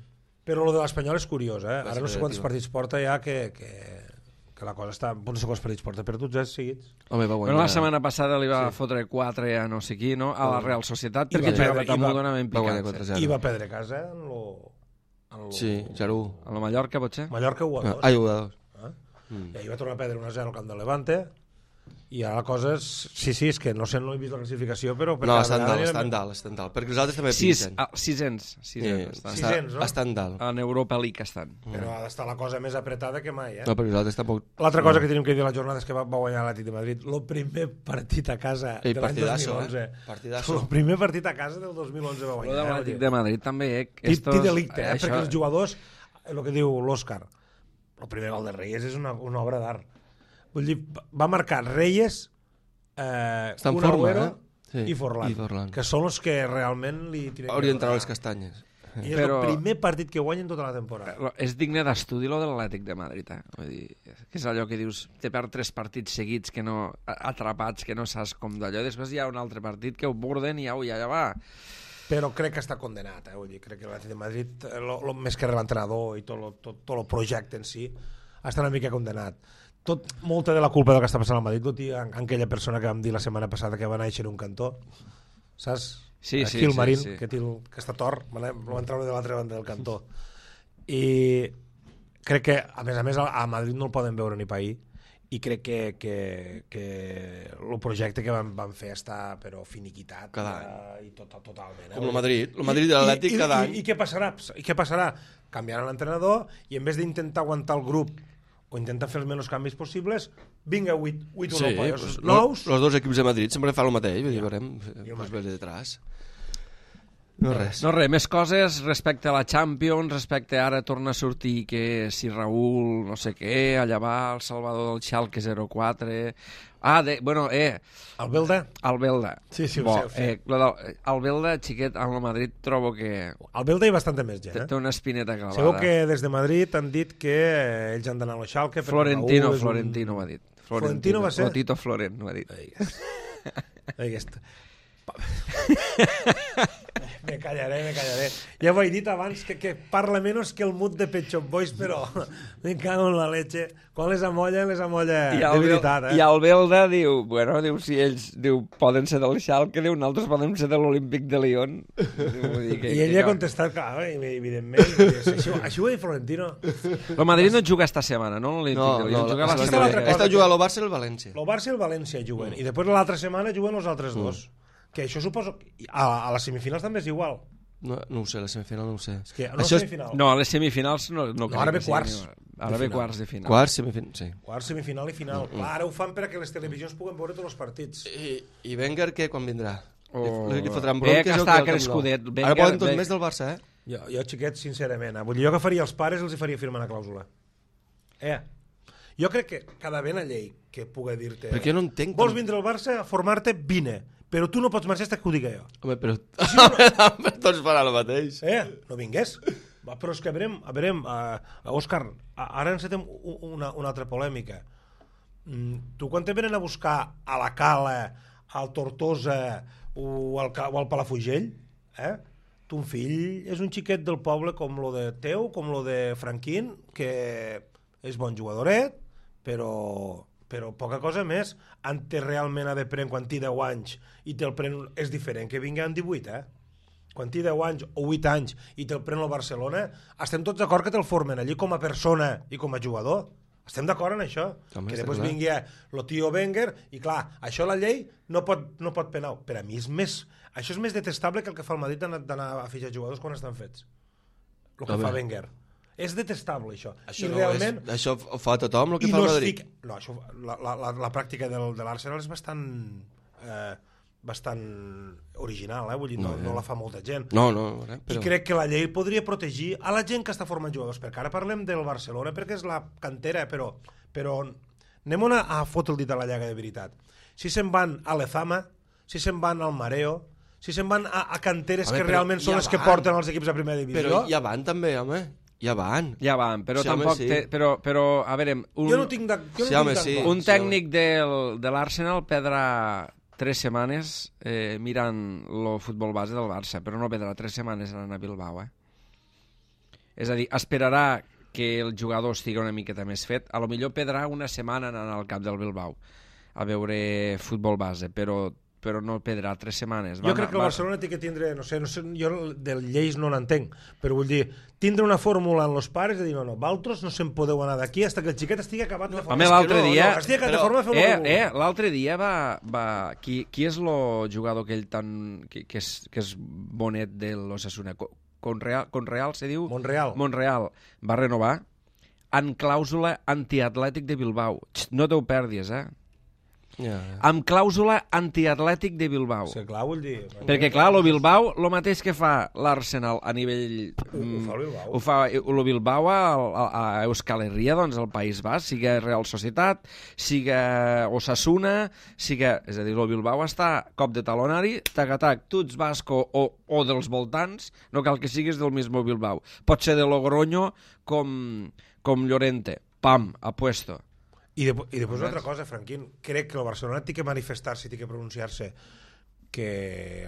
Però lo de l'Espanyol és curiós, eh? Va Ara no ser sé quants creativa. partits porta ja que, que, que la cosa està... No sé quants partits porta, però tots els seguits. Home, va guanyar. Bueno, la setmana passada li va sí. fotre quatre a no sé qui, no? A la Real Societat, I perquè va jugava perdre- i tan va- modonament va guanyar picat. quatre Sí. zero. I va perdre casa en lo... En lo... Sí, zero u. A la Mallorca, potser? Mallorca u a dos. Ah, jugadors. Eh? Mm. I ahir va tornar a perdre un a zero al camp de Levante. I ara la cosa és... Sí, sí, és que no sé, no he vist la classificació, però... per No, cada estan vegada dalt, anirem- estan dalt, estan dalt. Perquè els altres també Sis, pinten. ah, sisens. Sí, Sisens, estan. Sis- Sisens, no? Estan dalt. En Europa League estan. Però ha d'estar la cosa més apretada que mai, eh? No, perquè els altres tampoc... L'altra cosa que tenim que dir a la jornada és que va, va guanyar l'Atlètic de Madrid. El primer partit a casa Ei, de l'any dos partidasso, mil onze. eh? Partidasso. El primer partit a casa del dos mil onze va Lo guanyar. de eh? l'Atlètic de Madrid també, eh? Tit, Estos- tit delicte, eh? això- Perquè els jugadors, el que diu l'Òscar, el primer gol de Reyes és una, una obra d'art. Vull dir, va marcar Reyes, eh, Està en un forma, Agüero eh? Sí, i Forlán, i Forlán. que són els que realment li tiren Hauria d'entrar a les castanyes. I és Però- el primer partit que guanyen tota la temporada. Lo- És digne d'estudi lo de l'Atlètic de Madrid, eh? Vull dir, que és allò que dius, te perd tres partits seguits que no, atrapats, que no saps com d'allò, després hi ha un altre partit que ho borden i ja, ja, ja va. Però crec que està condenat, eh? Vull dir, crec que l'Atlètic de Madrid, eh, lo, lo, més que l'entrenador i tot, lo, tot, tot el projecte en si, està una mica condenat. Tot, molta de la culpa del que està passant al Madrid, tot i en, en aquella persona que vam dir la setmana passada que va néixer en un cantó, saps? Sí, Eh, sí, Gilmarín, sí, sí. que, té el, que està tort, me l'he- lo van treure de l'altra banda del cantó. I crec que, a més a més, a, a Madrid no el poden veure ni pair, i crec que, que, que el projecte que van, van fer està però finiquitat Cada eh, i tot, totalment. Eh? Com el Madrid. El Madrid i l'Atlètic I- i- cada i- any. I, què passarà? I què passarà? Canviaran l'entrenador i en vez d'intentar aguantar el grup o intentar fer els menys canvis possibles, vinga, vuit, vuit Sí, europeus pues, nous. los dos equips de Madrid sempre fan el mateix, vull dir, veurem, el pues mateix. ve detrás. No res. No res, més coses respecte a la Champions, respecte a ara torna a sortir que si Raúl no sé què, allà va el Salvador del Schalke zero quatre... Ah, de, bueno, eh, El Belda? el Belda. Sí, sí, ho Bo, sé, ho sé. Eh, lo del- el Belda, xiquet, al Madrid trobo que El Belda i bastanta més gent, té, eh? té una espineta clavada. Sabeu que des de Madrid han dit que eh, ells han d'anar a la Schalke... perquè Florentino, Raúl és un- Florentino ho ha dit. Florentino va ser? O Tito Florent ho ha dit. Aquesta. Me callaré, me callaré. Ja ho he dit abans, que, que parla menys que el mut de Pet Shop Boys, però me cago en la leche. Quan les amolla, les amolla I de el, veritat, eh? I el Belda diu, bueno, diu, si ells diu, poden ser del Schalke, diu, nosaltres podem ser de l'Olímpic de Lyon. Diu, vull dir que, I ell que, ha contestat, clar, evidentment, això, això ho ha dit Florentino. El Madrid no juga esta setmana, no? L'Olímpic No, de no, Lyon juga la aquí està setmana l'altra que cosa. ve. Està jugant el Barça i el València. El Barça i el València juguen, i després l'altra setmana juguen els altres dos. Que això suposo... A, a les semifinals també és igual. No, no ho sé, la semifinal no ho sé. És que no Això és semifinal. No, a les semifinals no, no, No, ara ve crec que sigui quarts igual. Ara de ve final. quarts de final. quart, semifinal, sí. Quart, semifinal i final. Mm, Clar, ara ho fan perquè les televisions puguen veure tots els partits. I, i Wenger, què, quan vindrà? Oh. Li, li fotran Bé, bronques que o està què, el Camp crescudet. Nou? Wenger- Ara poden tots Wenger- més del Barça, eh? Jo, jo xiquets, sincerament, eh? Vull dir, jo que faria els pares els hi faria firmar una clàusula. Eh? Jo crec que cada vena llei que pugui dir-te... Perquè jo no entenc... Vols vindre al Barça a formar-te? Vine. Però tu no pots marxar fins que ho digui jo. Home, però... No... tots faran el mateix. Eh? No vingués. Va, però és que a veurem, a veurem, uh, Òscar, ara encetem una, una altra polèmica. Mm, tu quan te venen a buscar a la Cala, al Tortosa o al, o al Palafrugell, eh? Ton fill és un xiquet del poble com lo de teu, com lo de Franquín, que és bon jugadoret, però... però poca cosa més. En té realment ha de prendre quan té deu anys i te'l pren, és diferent que vingui amb divuit, eh? Quan té deu anys o vuit anys i te'l pren el Barcelona, estem tots d'acord que te'l formen allí com a persona i com a jugador. Estem d'acord en això. Home, que està després clar. vingui el tio Wenger i clar, això la llei no pot, no pot penar. Per a mi és més... Això és més detestable que el que fa el Madrid d'anar, d'anar a fitxar jugadors quan estan fets. El que Home. fa Wenger. És detestable, això. Això, I no realment... és, això ho fa tothom, el que I fa el no es Madrid. fica... No, això, la, la, la, la pràctica del, de l'Arsenal és bastant... Eh, bastant original, eh? Vull dir, no, no, no la fa molta gent. No, no, eh, I però... crec que la llei podria protegir a la gent que està formant jugadors, perquè ara parlem del Barcelona perquè és la cantera, però, però anem a, a fotre el dit a la llaga de veritat. Si se'n van a l'Ezama, si se'n van al Mareo, si se'n van a, a canteres Home, que però realment són ja les que van. porten els equips a primera divisió... Però ja van també, home. Ja van. Ja van, però Sí, home, tampoc... sí. Té, però, però, a veure... Un, Jo no tinc, de, jo no Sí, home, tinc sí. tant clar. un tècnic del, de l'Arsenal perdrà tres setmanes eh, mirant el futbol base del Barça, però no perdrà tres setmanes anant a Bilbao, eh? És a dir, esperarà que el jugador estigui una miqueta més fet. A lo millor perdrà una setmana anant al camp del Bilbao a veure futbol base, però però no perdrà tres setmanes. Jo crec que el Barcelona té que tindre, no sé, no sé, jo de lleis no n'entenc, però vull dir, tindre una fórmula en els pares de dir, no, no, vosaltres no se'n podeu anar d'aquí fins que el xiquet estigui acabat de forma. Home, l'altre no, dia... No, estigui acabat però- de forma, feu Eh, el que eh, vulgui. l'altre dia va... va qui, qui és el jugador aquell tan... que, que, és, que és bonet de l'Osasuna? Co- Conreal, Conreal se diu? Montreal. Montreal. Va renovar en clàusula antiatlètic de Bilbao. Xt, no t'ho perdis, eh? Ja, ja. Amb clàusula antiatlètic de Bilbao. Sí, clar, vull dir... Perquè, clar, el Bilbao, el mateix que fa l'Arsenal a nivell... Ho- ho fa el Bilbao. Ho fa el Bilbao a, a, a Euskal Herria, doncs, al País Basc, siga Real Societat, siga Osasuna, siga... És a dir, el Bilbao està cop de talonari, tac-tac, tu ets basco o, o dels voltants, no cal que siguis del mismo Bilbao. Pot ser de Logroño com, com Llorente. Pam, apuesto. I, de, i després una altra cosa, Franquín, crec que el Barcelona té que manifestar-se, té que pronunciar-se que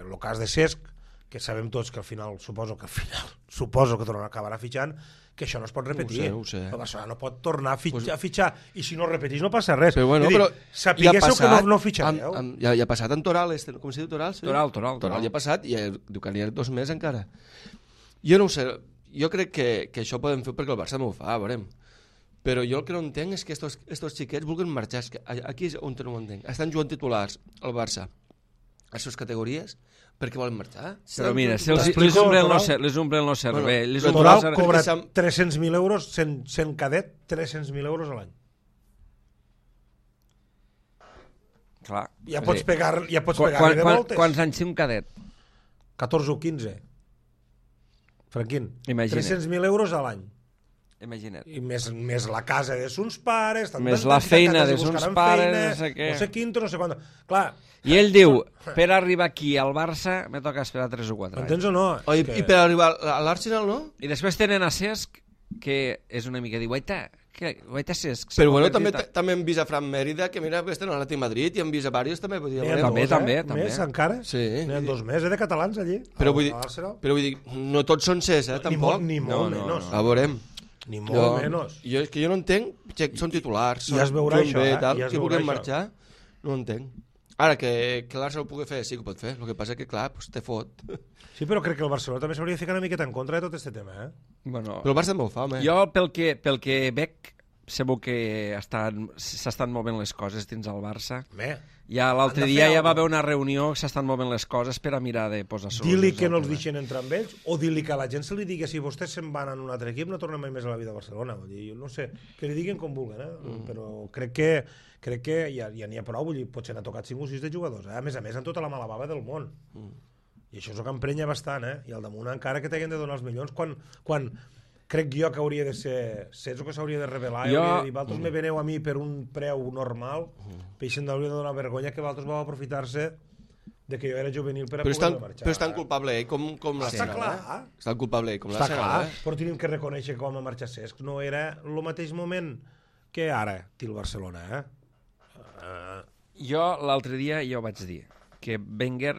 el cas de Cesc, que sabem tots que al final, suposo que al final, suposo que tornarà a acabar fitxant, que això no es pot repetir. No ho sé, no ho sé. El Barcelona no pot tornar a fitxar, Pues... a fitxar i si no repetís no passa res. Però bueno, És a dir, però... sapiguéssiu que no, no fitxareu. Amb, amb, ja, ja ha passat en Toral, este, com se diu Toral? Sí? Toral, Toral, Toral. Toral ja ha passat i eh, diu que n'hi ha dos més encara. Jo no ho sé, jo crec que, que això ho podem fer perquè el Barça no ho fa, veurem. Però jo el que no entenc és que estos, estos xiquets vulguin marxar. És que aquí és on no ho entenc. Estan jugant titulars al Barça a les seves categories perquè volen marxar. Però Estan mira, jugant si els, titulars. les omplen Toral. el cer- les omplen el cervell, Bueno, les però omplen Toral el cervell. cobra Sam- tres-cents mil euros sent, sent cadet, tres-cents mil euros a l'any. Clar. Ja És pots a dir, pegar, ja pots quan, pegar quan, de quan, voltes. quants anys té un cadet? catorze o quinze. Franquín, Imagina't. tres-cents mil euros a l'any. Imagina't. I més, més la casa de sons pares, tant Més tant, la tant, feina tant, de tant, sons buscaran pares, feina, no sé què. no sé quinto, no sé quant. Clar, I ell diu, per arribar aquí al Barça me toca esperar tres o quatre anys. m'entens o no? Oh, i, És que... I per arribar a l'Arsenal, no? I després tenen a Cesc, que és una mica diueta, que guaita Cesc. Però bueno, també, també hem vist a Fran Mèrida, que mira, que estan a l'Atlètic Madrid, i hem vist a diversos també. Vull dir, també, també, també. Més encara? Sí. N'hi ha dos més, eh, de catalans allí. Però vull dir, però vull dir, no tots són ses, eh, tampoc. Ni molt menys. A veurem. Ni molt menys. Jo, és que jo no entenc, que són titulars, ja es veurà això, bé, eh? tal, ja es que veurà vulguin això. marxar, no ho entenc. Ara, que, que l'Arsenal ho pugui fer, sí que ho pot fer. El que passa que, clar, pues, te fot. Sí, però crec que el Barcelona també s'hauria de ficar una miqueta en contra de tot aquest tema, eh? Bueno, però el Barça molt fam, eh? Jo, pel que, pel que veig, segur que s'estan movent les coses dins el Barça. Bé. Ja l'altre dia ja va haver una reunió que s'estan movent les coses per a mirar de posar solucions. Dir-li que no els deixen entrar amb ells, o dir-li que a la gent se li digui si vostès se'n van en un altre equip no tornen mai més a la vida a Barcelona. Vull dir, jo no sé, que li diguin com vulguen, eh? Mm. Però crec que, crec que ja ja n'hi ha prou, vull dir, potser n'ha tocat cinc o sis de jugadors, eh? A més a més, amb tota la mala bava del món. Mm. I això és el que emprenya bastant, eh? I al damunt encara que t'hagin de donar els milions, quan, quan crec jo que hauria de ser Cesc o que s'hauria de revelar jo... i hauria de dir, vosaltres mm. me veneu a mi per un preu normal, mm. peixen d'hauria de donar vergonya que vosaltres vau aprofitar-se de que jo era juvenil per a però poder estan, marxar. Però és tan culpable ell com, com Està l'Arsenal. clar. Eh? És tan culpable ell com Està l'Arsenal. clar, eh? però tenim que reconèixer que com a marxar Cesc no era el mateix moment que ara té el Barcelona, eh? Uh... Jo l'altre dia ja ho vaig dir, que Wenger,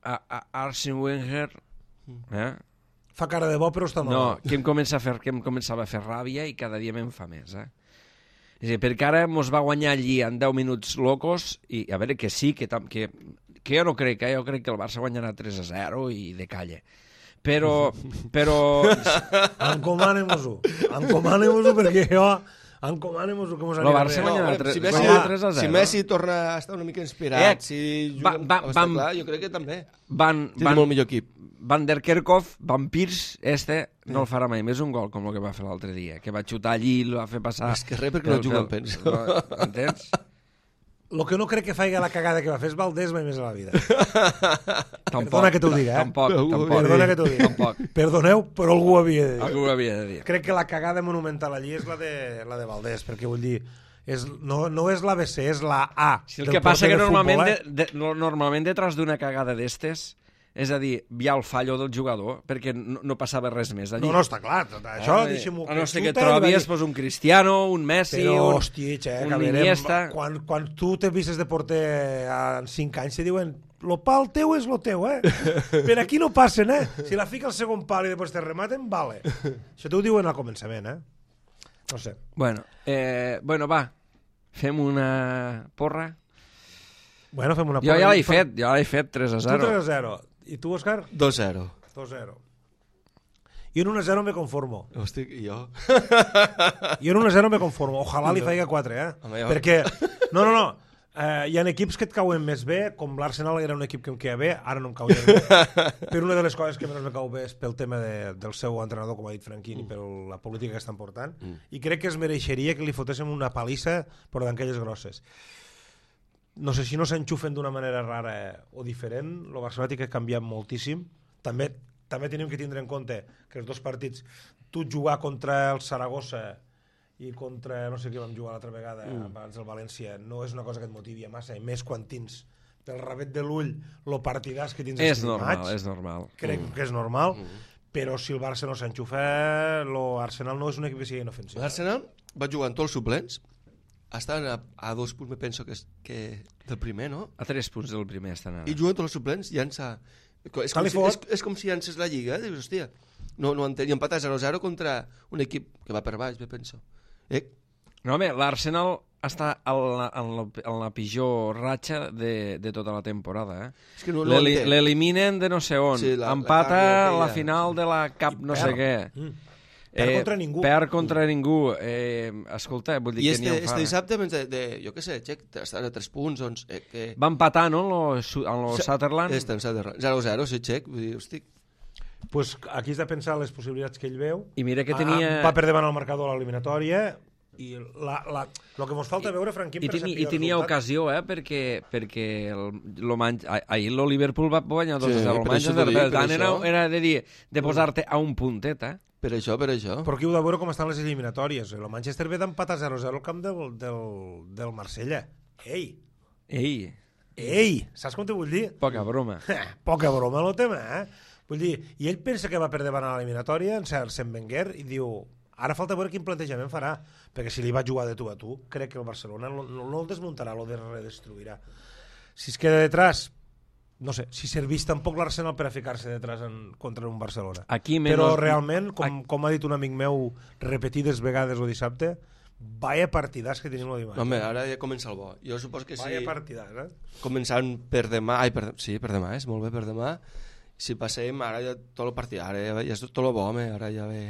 a, a Arsene Wenger, eh? fa cara de bo però està mal. No, que em, comença a fer, que em començava a fer ràbia i cada dia me'n fa més, eh? És a dir, perquè ara mos va guanyar allí en deu minuts locos i a veure que sí, que, tam, que, que jo no crec, eh? Jo crec que el Barça guanyarà tres a zero i de calle. Però... però... Encomane-mos-ho. Encomane-mos-ho perquè jo... Encomane-mos-ho que mos anirà bé. El Barça guanyarà tres a zero. Si Messi torna a estar una mica inspirat, eh, si juga... Va, va, vam, clar, jo crec que també. Van, Tindrà van, molt millor equip. Van der Kerkhoff, Van Peers, este, no el farà mai més un gol com el que va fer l'altre dia, que va xutar allí i el va fer passar... És que res perquè no juga, penso. Entens? El que no crec que faci la cagada que va fer és Valdés mai més a la vida. Tampoc, Perdona que t'ho digui, eh? Tampoc, tampoc. Perdona que t'ho digui. Tampoc. Perdoneu, però algú ho havia de dir. Algú ho havia de dir. Crec que la cagada monumental allí és la de, la de Valdés, perquè vull dir... És, no, no és l'A B C, és la A. Si el que passa que normalment, futbol, eh? de, de, normalment detrás d'una cagada d'estes, és a dir, hi ha el fallo del jugador, perquè no, no passava res més allí. No, no, està clar. Això, eh, deixem-ho... A no ser que trobis pues, un Cristiano, un Messi, però, un, hòstia, xec, un Iniesta... Quan, quan tu te vistes de porter en cinc anys, te diuen lo pal teu és lo teu, eh? Per aquí no passen, eh? Si la fica al segon pal i després te rematen, vale. Això t'ho diuen al començament, eh? No sé. Bueno, eh, bueno, va, fem una porra. Bueno, fem una porra. Jo ja l'he fet, jo l'he fet tres a zero. Tu tres a zero. I tu, Òscar? dos a zero. dos a zero. Jo en un a zero me conformo. Hosti, i jo? Jo en un a zero me conformo. Ojalà li faig quatre, eh? Home, jo... Perquè, no, no, no. Uh, hi ha equips que et cauen més bé, com l'Arsenal era un equip que em queia bé, ara no em cau bé. Però una de les coses que menys me cau bé és pel tema de, del seu entrenador, com ha dit Franquini, mm. per la política que estan portant, mm. i crec que es mereixeria que li fotéssim una palissa, però d'aquelles grosses. No sé si no s'enxufen d'una manera rara o diferent, el Barcelona té que canviar moltíssim. També, també tenim que tindre en compte que els dos partits, tu jugar contra el Saragossa i contra, no sé què vam jugar l'altra vegada, mm. abans del València, no és una cosa que et motivi massa, i més quan tens pel rabet de l'ull el partidàs que tens és normal, maig, és normal. Crec mm. que és normal, mm. però si el Barça no s'enxufa, l'Arsenal no és un equip que sigui inofensiu. L'Arsenal va jugar amb tots els suplents, estan a, a dos punts, me penso, que, és, que del primer, no? A tres punts del primer estan ara. I juguen tots els suplents, llança... És com, si, és, és com si llances la Lliga, eh? Dius, hòstia, no, no entenc, i empatar zero a zero contra un equip que va per baix, me penso. Eh? No, home, l'Arsenal està en la, en, la, en la pitjor ratxa de, de tota la temporada. Eh? És que no, no l'eliminen de no sé on, sí, la, empata la, la final de la Cap no sé què. Mm. Perd eh, contra ningú. Perd contra mm. ningú. Eh, escolta, vull dir I que este, n'hi ha este dissabte, de, de, jo què sé, Txec, estan a tres punts, doncs... Eh, que... Va empatar, no?, en el Sutherland. Este, en Sutherland. zero a zero, sí, Txec, vull dir, hosti... Pues aquí has de pensar les possibilitats que ell veu. I mira que tenia... Va per davant el marcador a l'eliminatòria i la, la, el que ens falta I, veure, Franquín, i, per teni, i tenia ocasió, eh, perquè, perquè el, lo manj, ahir el Liverpool va guanyar dos a zero. Sí, el Manchester, per tant, era, era de dir, de posar-te a un puntet, eh? Per això, per això. Però aquí heu de veure com estan les eliminatòries. El Manchester ve d'empatar zero a zero al camp del, del, del Marsella. Ei! Ei! Ei! Saps com t'ho vull dir? Poca broma. Poca broma, el tema, eh? Vull dir, i ell pensa que va per davant a l'eliminatòria, en Arsène Wenger, i diu, Ara falta veure quin plantejament farà, perquè si li va jugar de tu a tu, crec que el Barcelona no, no, no el desmuntarà, el redestruirà. Si es queda detrás, no sé, si servís tampoc l'Arsenal per a ficar-se detrás en, contra un Barcelona. Aquí menos... Però realment, com, com ha dit un amic meu repetides vegades el dissabte, vaya partidàs que tenim l'Odimac. Home, ara ja comença el bo. Jo suposo que sí. Vaya partidàs, eh? Començant per demà, ai, per, sí, per demà, és molt bé per demà. Si passem, ara ja tot el partit, ara ja, ja és tot el bo, home, ara ja ve...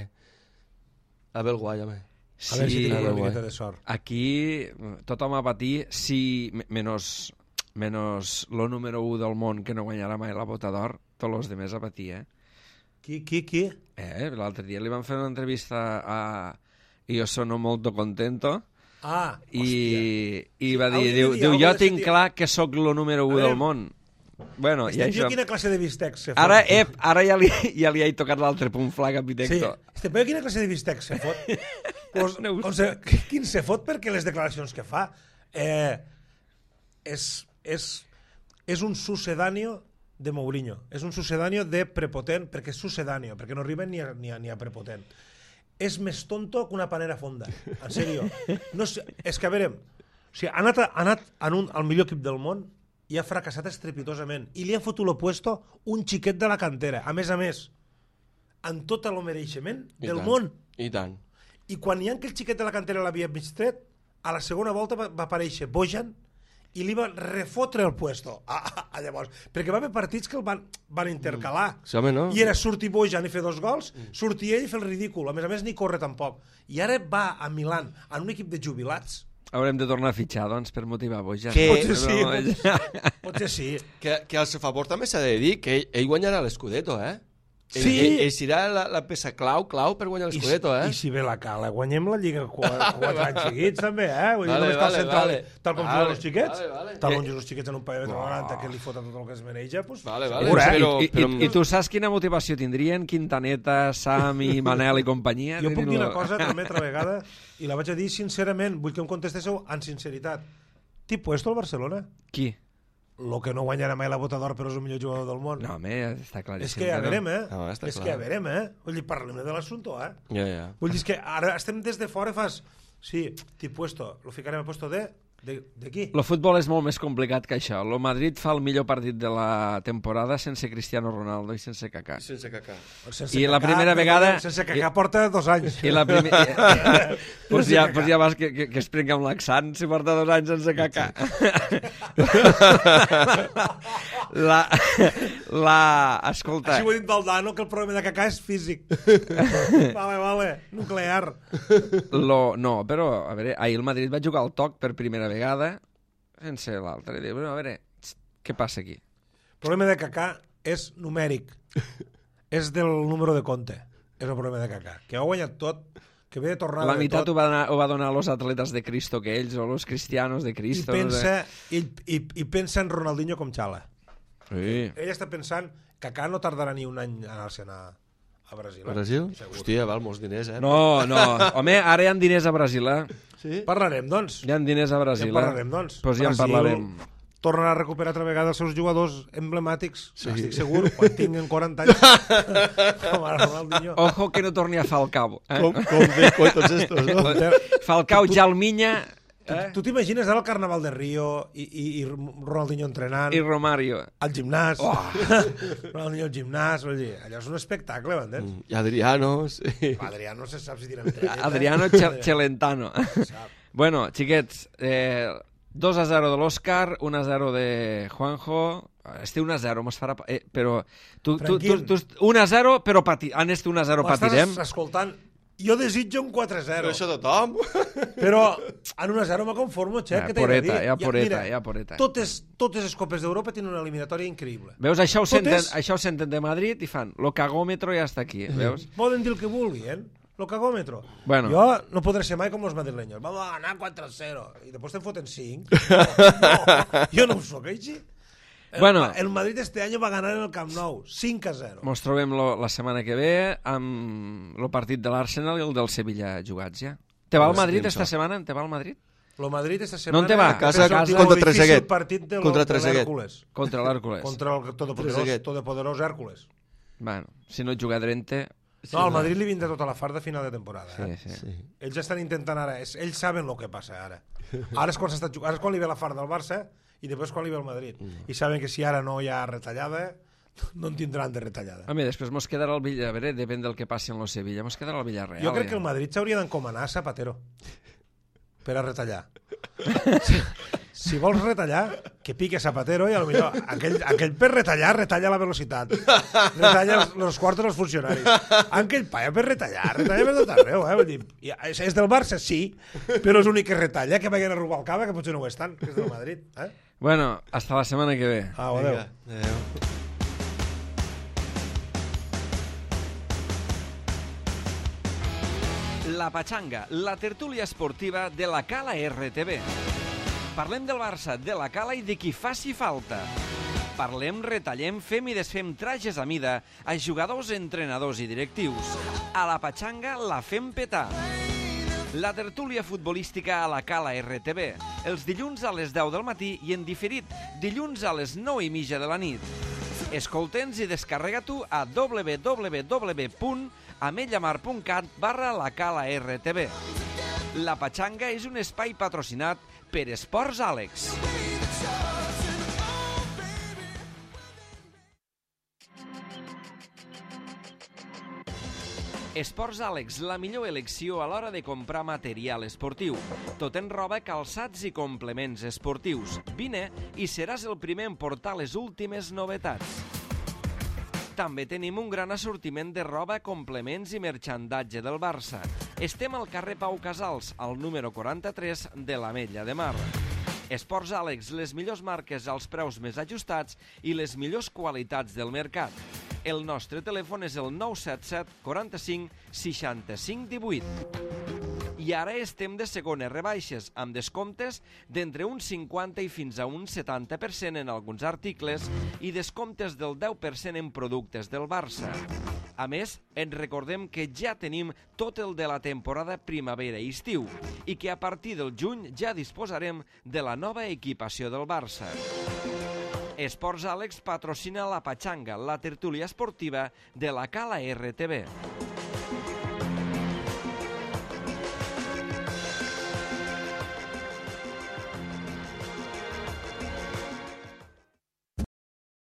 A ve el guai, home. Sí, a veure si tenim una miqueta de sort. Aquí tothom a patir, si menys, menys lo número u del món que no guanyarà mai la Bota d'Or, tots els demés a patir, eh? Qui, qui, qui? Eh, l'altre dia li van fer una entrevista a Io sono molto contento Ah, i, i va Sí, dir, hauria diu, de dir diu alguna jo cosa tinc de- clar que sóc lo número u A veure, del món. Bueno, i Este tio això... quina classe de bistec se fot? Ara, ep, ara ja li, ja li he tocat l'altre punt flag a Sí, Pitecto. este tio quina classe de bistec se fot? pues, No ho o sé. sigui, quin se fot perquè les declaracions que fa eh, és, és, és un sucedáneo de Mourinho, és un sucedáneo de prepotent, perquè és sucedáneo, perquè no arriba ni a, ni a, ni a prepotent. És més tonto que una panera fonda, en sèrio. No sé, és que a veure, o sigui, ha anat, ha anat en un, al millor equip del món i ha fracassat estrepitosament i li ha fotut lo puesto un xiquet de la cantera, a més a més, en tot el mereixement I del tant, món. I tant. I quan hi ha que el xiquet de la cantera l'havia mig tret, a la segona volta va, va aparèixer Bojan i li va refotre el puesto. Ah, ah, ah, llavors, perquè va haver partits que el van, van intercalar. Sí, home, no? I era sortir Bojan i fer dos gols, sortir ell i fer el ridícul. A més a més, ni corre tampoc. I ara va a Milan, en un equip de jubilats. Haurem de tornar a fitxar, doncs, per motivar Bojan. Que- Potser sí, No, potser, potser sí. Que, que al seu favor també s'ha de dir que ell, ell guanyarà l'Scudetto, eh? Sí. Ell, ell, ell serà la, la peça clau, clau per guanyar I, l'Scudetto, eh? I si ve la cala, guanyem la Lliga quatre, quatre anys seguits, també, eh? Vull dir, Vale, només cal vale, centrar vale. tal com Vale, juguen els xiquets, vale, vale. tal Eh. com juguen els xiquets en un parell de noranta que li foten tot el que es mereix, pues, Vale, vale. segur, eh? Però- I, i, però- i, I tu saps quina motivació tindrien Quintaneta, Sami, Manel i companyia? Jo puc dir Diguin-lo. una cosa també altra vegada i la vaig a dir sincerament, vull que em contestéssiu amb sinceritat. T'hi puesto al Barcelona? Qui? Lo que no guanyarà mai la Bota d'Or però és el millor jugador del món. No, home, està claríssim. és que ja no. verem, eh? No, està és clar. que ja verem, eh? Vull dir, parlem de l'assumpte, eh? Ja, ja. Vull dir, és que ara estem des de fora i fas... Sí, t'hi puesto, lo ficarem a puesto de... De, de qui? El futbol és molt més complicat que això. El Madrid fa el millor partit de la temporada sense Cristiano Ronaldo i sense Kaká. Sense cacar. Sense I la Kaká, primera perdó, vegada- Sense Kaká porta dos anys. I la primera... pues, Sense ja, Kaká. pues ja vas que, que, que es prenga amb l'accent si porta dos anys sense Kaká. la, la... Escolta... Així ho he dit Valdano, que el problema de Kaká és físic. vale, vale, nuclear. Lo, no, però, a veure, ahir el Madrid va jugar al toc per primera vegada sense l'altre. I diu, bueno, a veure, què passa aquí? El problema de Kaká és numèric. és del número de compte. És el problema de Kaká. Que ha guanyat tot, que ve de tornada La de meitat tot, ho va, donar, ho va donar a los atletes de Cristo que ells, o los cristianos de i Cristo. pensa, i, i, i pensa en Ronaldinho com xala. Sí. Ell està pensant que Kaká no tardarà ni un any a anar-se'n a, a Brasil. eh? Brasil? Segur. Hòstia, val molts diners, eh? No, no. Home, ara hi ha diners a Brasil, eh? Sí? Parlarem, doncs. Hi ha diners a Ja Brasil, en parlarem, eh? doncs. Pues ja en Brasil parlarem. tornarà a recuperar altra vegada els seus jugadors emblemàtics. Sí. Estic segur, quan tinguin quaranta anys. com ara Ronaldinho. Ojo que no torni a Falcao. Eh? Com, com Deco i tots estos, no? Falcao, Jalminya Eh? Tu t'imagines ara el Carnaval de Rio i, i, i Ronaldinho entrenant i Romario. al gimnàs, Oh. Ronaldinho al gimnàs, vull dir, allò és un espectacle, m'entens? I Adriano, sí. Adrià no se sap si tira entre Adriano Ch- Celentano. Bueno, xiquets, eh, dos a zero de l'Òscar, un a zero de Juanjo. Este un a zero mos farà... Eh, però tu, tu, tu, tu, un a zero, però pati... en este un a zero patirem. M'estàs escoltant? Jo desitjo un quatre a zero, Però això tothom. però en un a zero me conformo, Xer, Ja, que t'he de dir. poreta, ja, poreta, mira, ja, poreta. Totes, totes les copes d'Europa tenen una eliminatòria increïble. Veus, això ho, senten, Totes- això ho senten de Madrid i fan lo cagòmetro ja està aquí, veus? Poden dir el que vulguin, lo cagòmetro. Bueno. Jo no podré ser mai com els madrileños. Vamos a ganar quatre a zero. I després te'n foten cinc. No, jo no ho soc així. El, Bueno. el Madrid este año va ganar en el Camp Nou, cinc a zero. Mos trobem lo, la setmana que ve amb el partit de l'Arsenal i el del Sevilla jugats ja. Te va al Madrid esta setmana? Te va al Madrid? Lo Madrid esta setmana... No te va, és casa el contra difícil Trezeguet. partit de, lo- Contra de Trezeguet. l'Hèrcules. Contra l'Hèrcules. Contra el todopoderós, Trezeguet. todopoderós Hèrcules. Bueno, si no juga Drente... No, al Madrid li vindrà tota la farda a final de temporada. Eh? Sí, sí. Sí. Ells estan intentant ara, és- ells saben el que passa ara. Ara és quan s'està jugant, ara és quan li ve la farda al Barça i després quan li ve el Madrid. I saben que si ara no hi ha retallada, no en tindran de retallada. Home, després mos quedarà el Villarreal, a veure, depèn del que passi en el Sevilla, mos quedarà el Villarreal. Jo crec que el ja. Madrid s'hauria d'encomanar a Zapatero per a retallar. Si, si vols retallar, que pique Zapatero i potser aquell, aquell per retallar, retalla la velocitat. Retalla els, els quartos dels funcionaris. Aquell paia per retallar, retalla per tot arreu. Eh? Vull dir, és, és del Barça, sí, però és l'únic que retalla, que vagin a Rubalcaba, que potser no ho estan, que és del Madrid. Eh? Bueno, hasta la setmana que ve. Au, adéu. Vinga, adéu. La Pachanga, la tertúlia esportiva de la Cala R T V. Parlem del Barça, de la Cala i de qui faci falta. Parlem, retallem, fem i desfem trajes a mida a jugadors, entrenadors i directius. A la Pachanga la fem petar. La tertúlia futbolística a la Cala R T V, els dilluns a les deu del matí i en diferit, dilluns a les nou i mitja de la nit. Escolta'ns i descarrega-t'ho a w w w punt amellamar punt cat barra la Cala R T V. La Pachanga és un espai patrocinat per Esports Àlex. Esports Àlex, la millor elecció a l'hora de comprar material esportiu. Tot en roba, calçats i complements esportius. Vine i seràs el primer en portar les últimes novetats. També tenim un gran assortiment de roba, complements i merchandatge del Barça. Estem al carrer Pau Casals, al número quaranta-tres de l'Ametlla de Mar. Esports Àlex, les millors marques als preus més ajustats i les millors qualitats del mercat. El nostre telèfon és el nou set set quaranta-cinc seixanta-cinc divuit. I ara estem de segones rebaixes, amb descomptes d'entre un cinquanta i fins a un setanta per cent en alguns articles i descomptes del deu per cent en productes del Barça. A més, ens recordem que ja tenim tot el de la temporada primavera i estiu i que a partir del juny ja disposarem de la nova equipació del Barça. Esports Àlex patrocina la Pachanga, la tertúlia esportiva de la Cala R T V.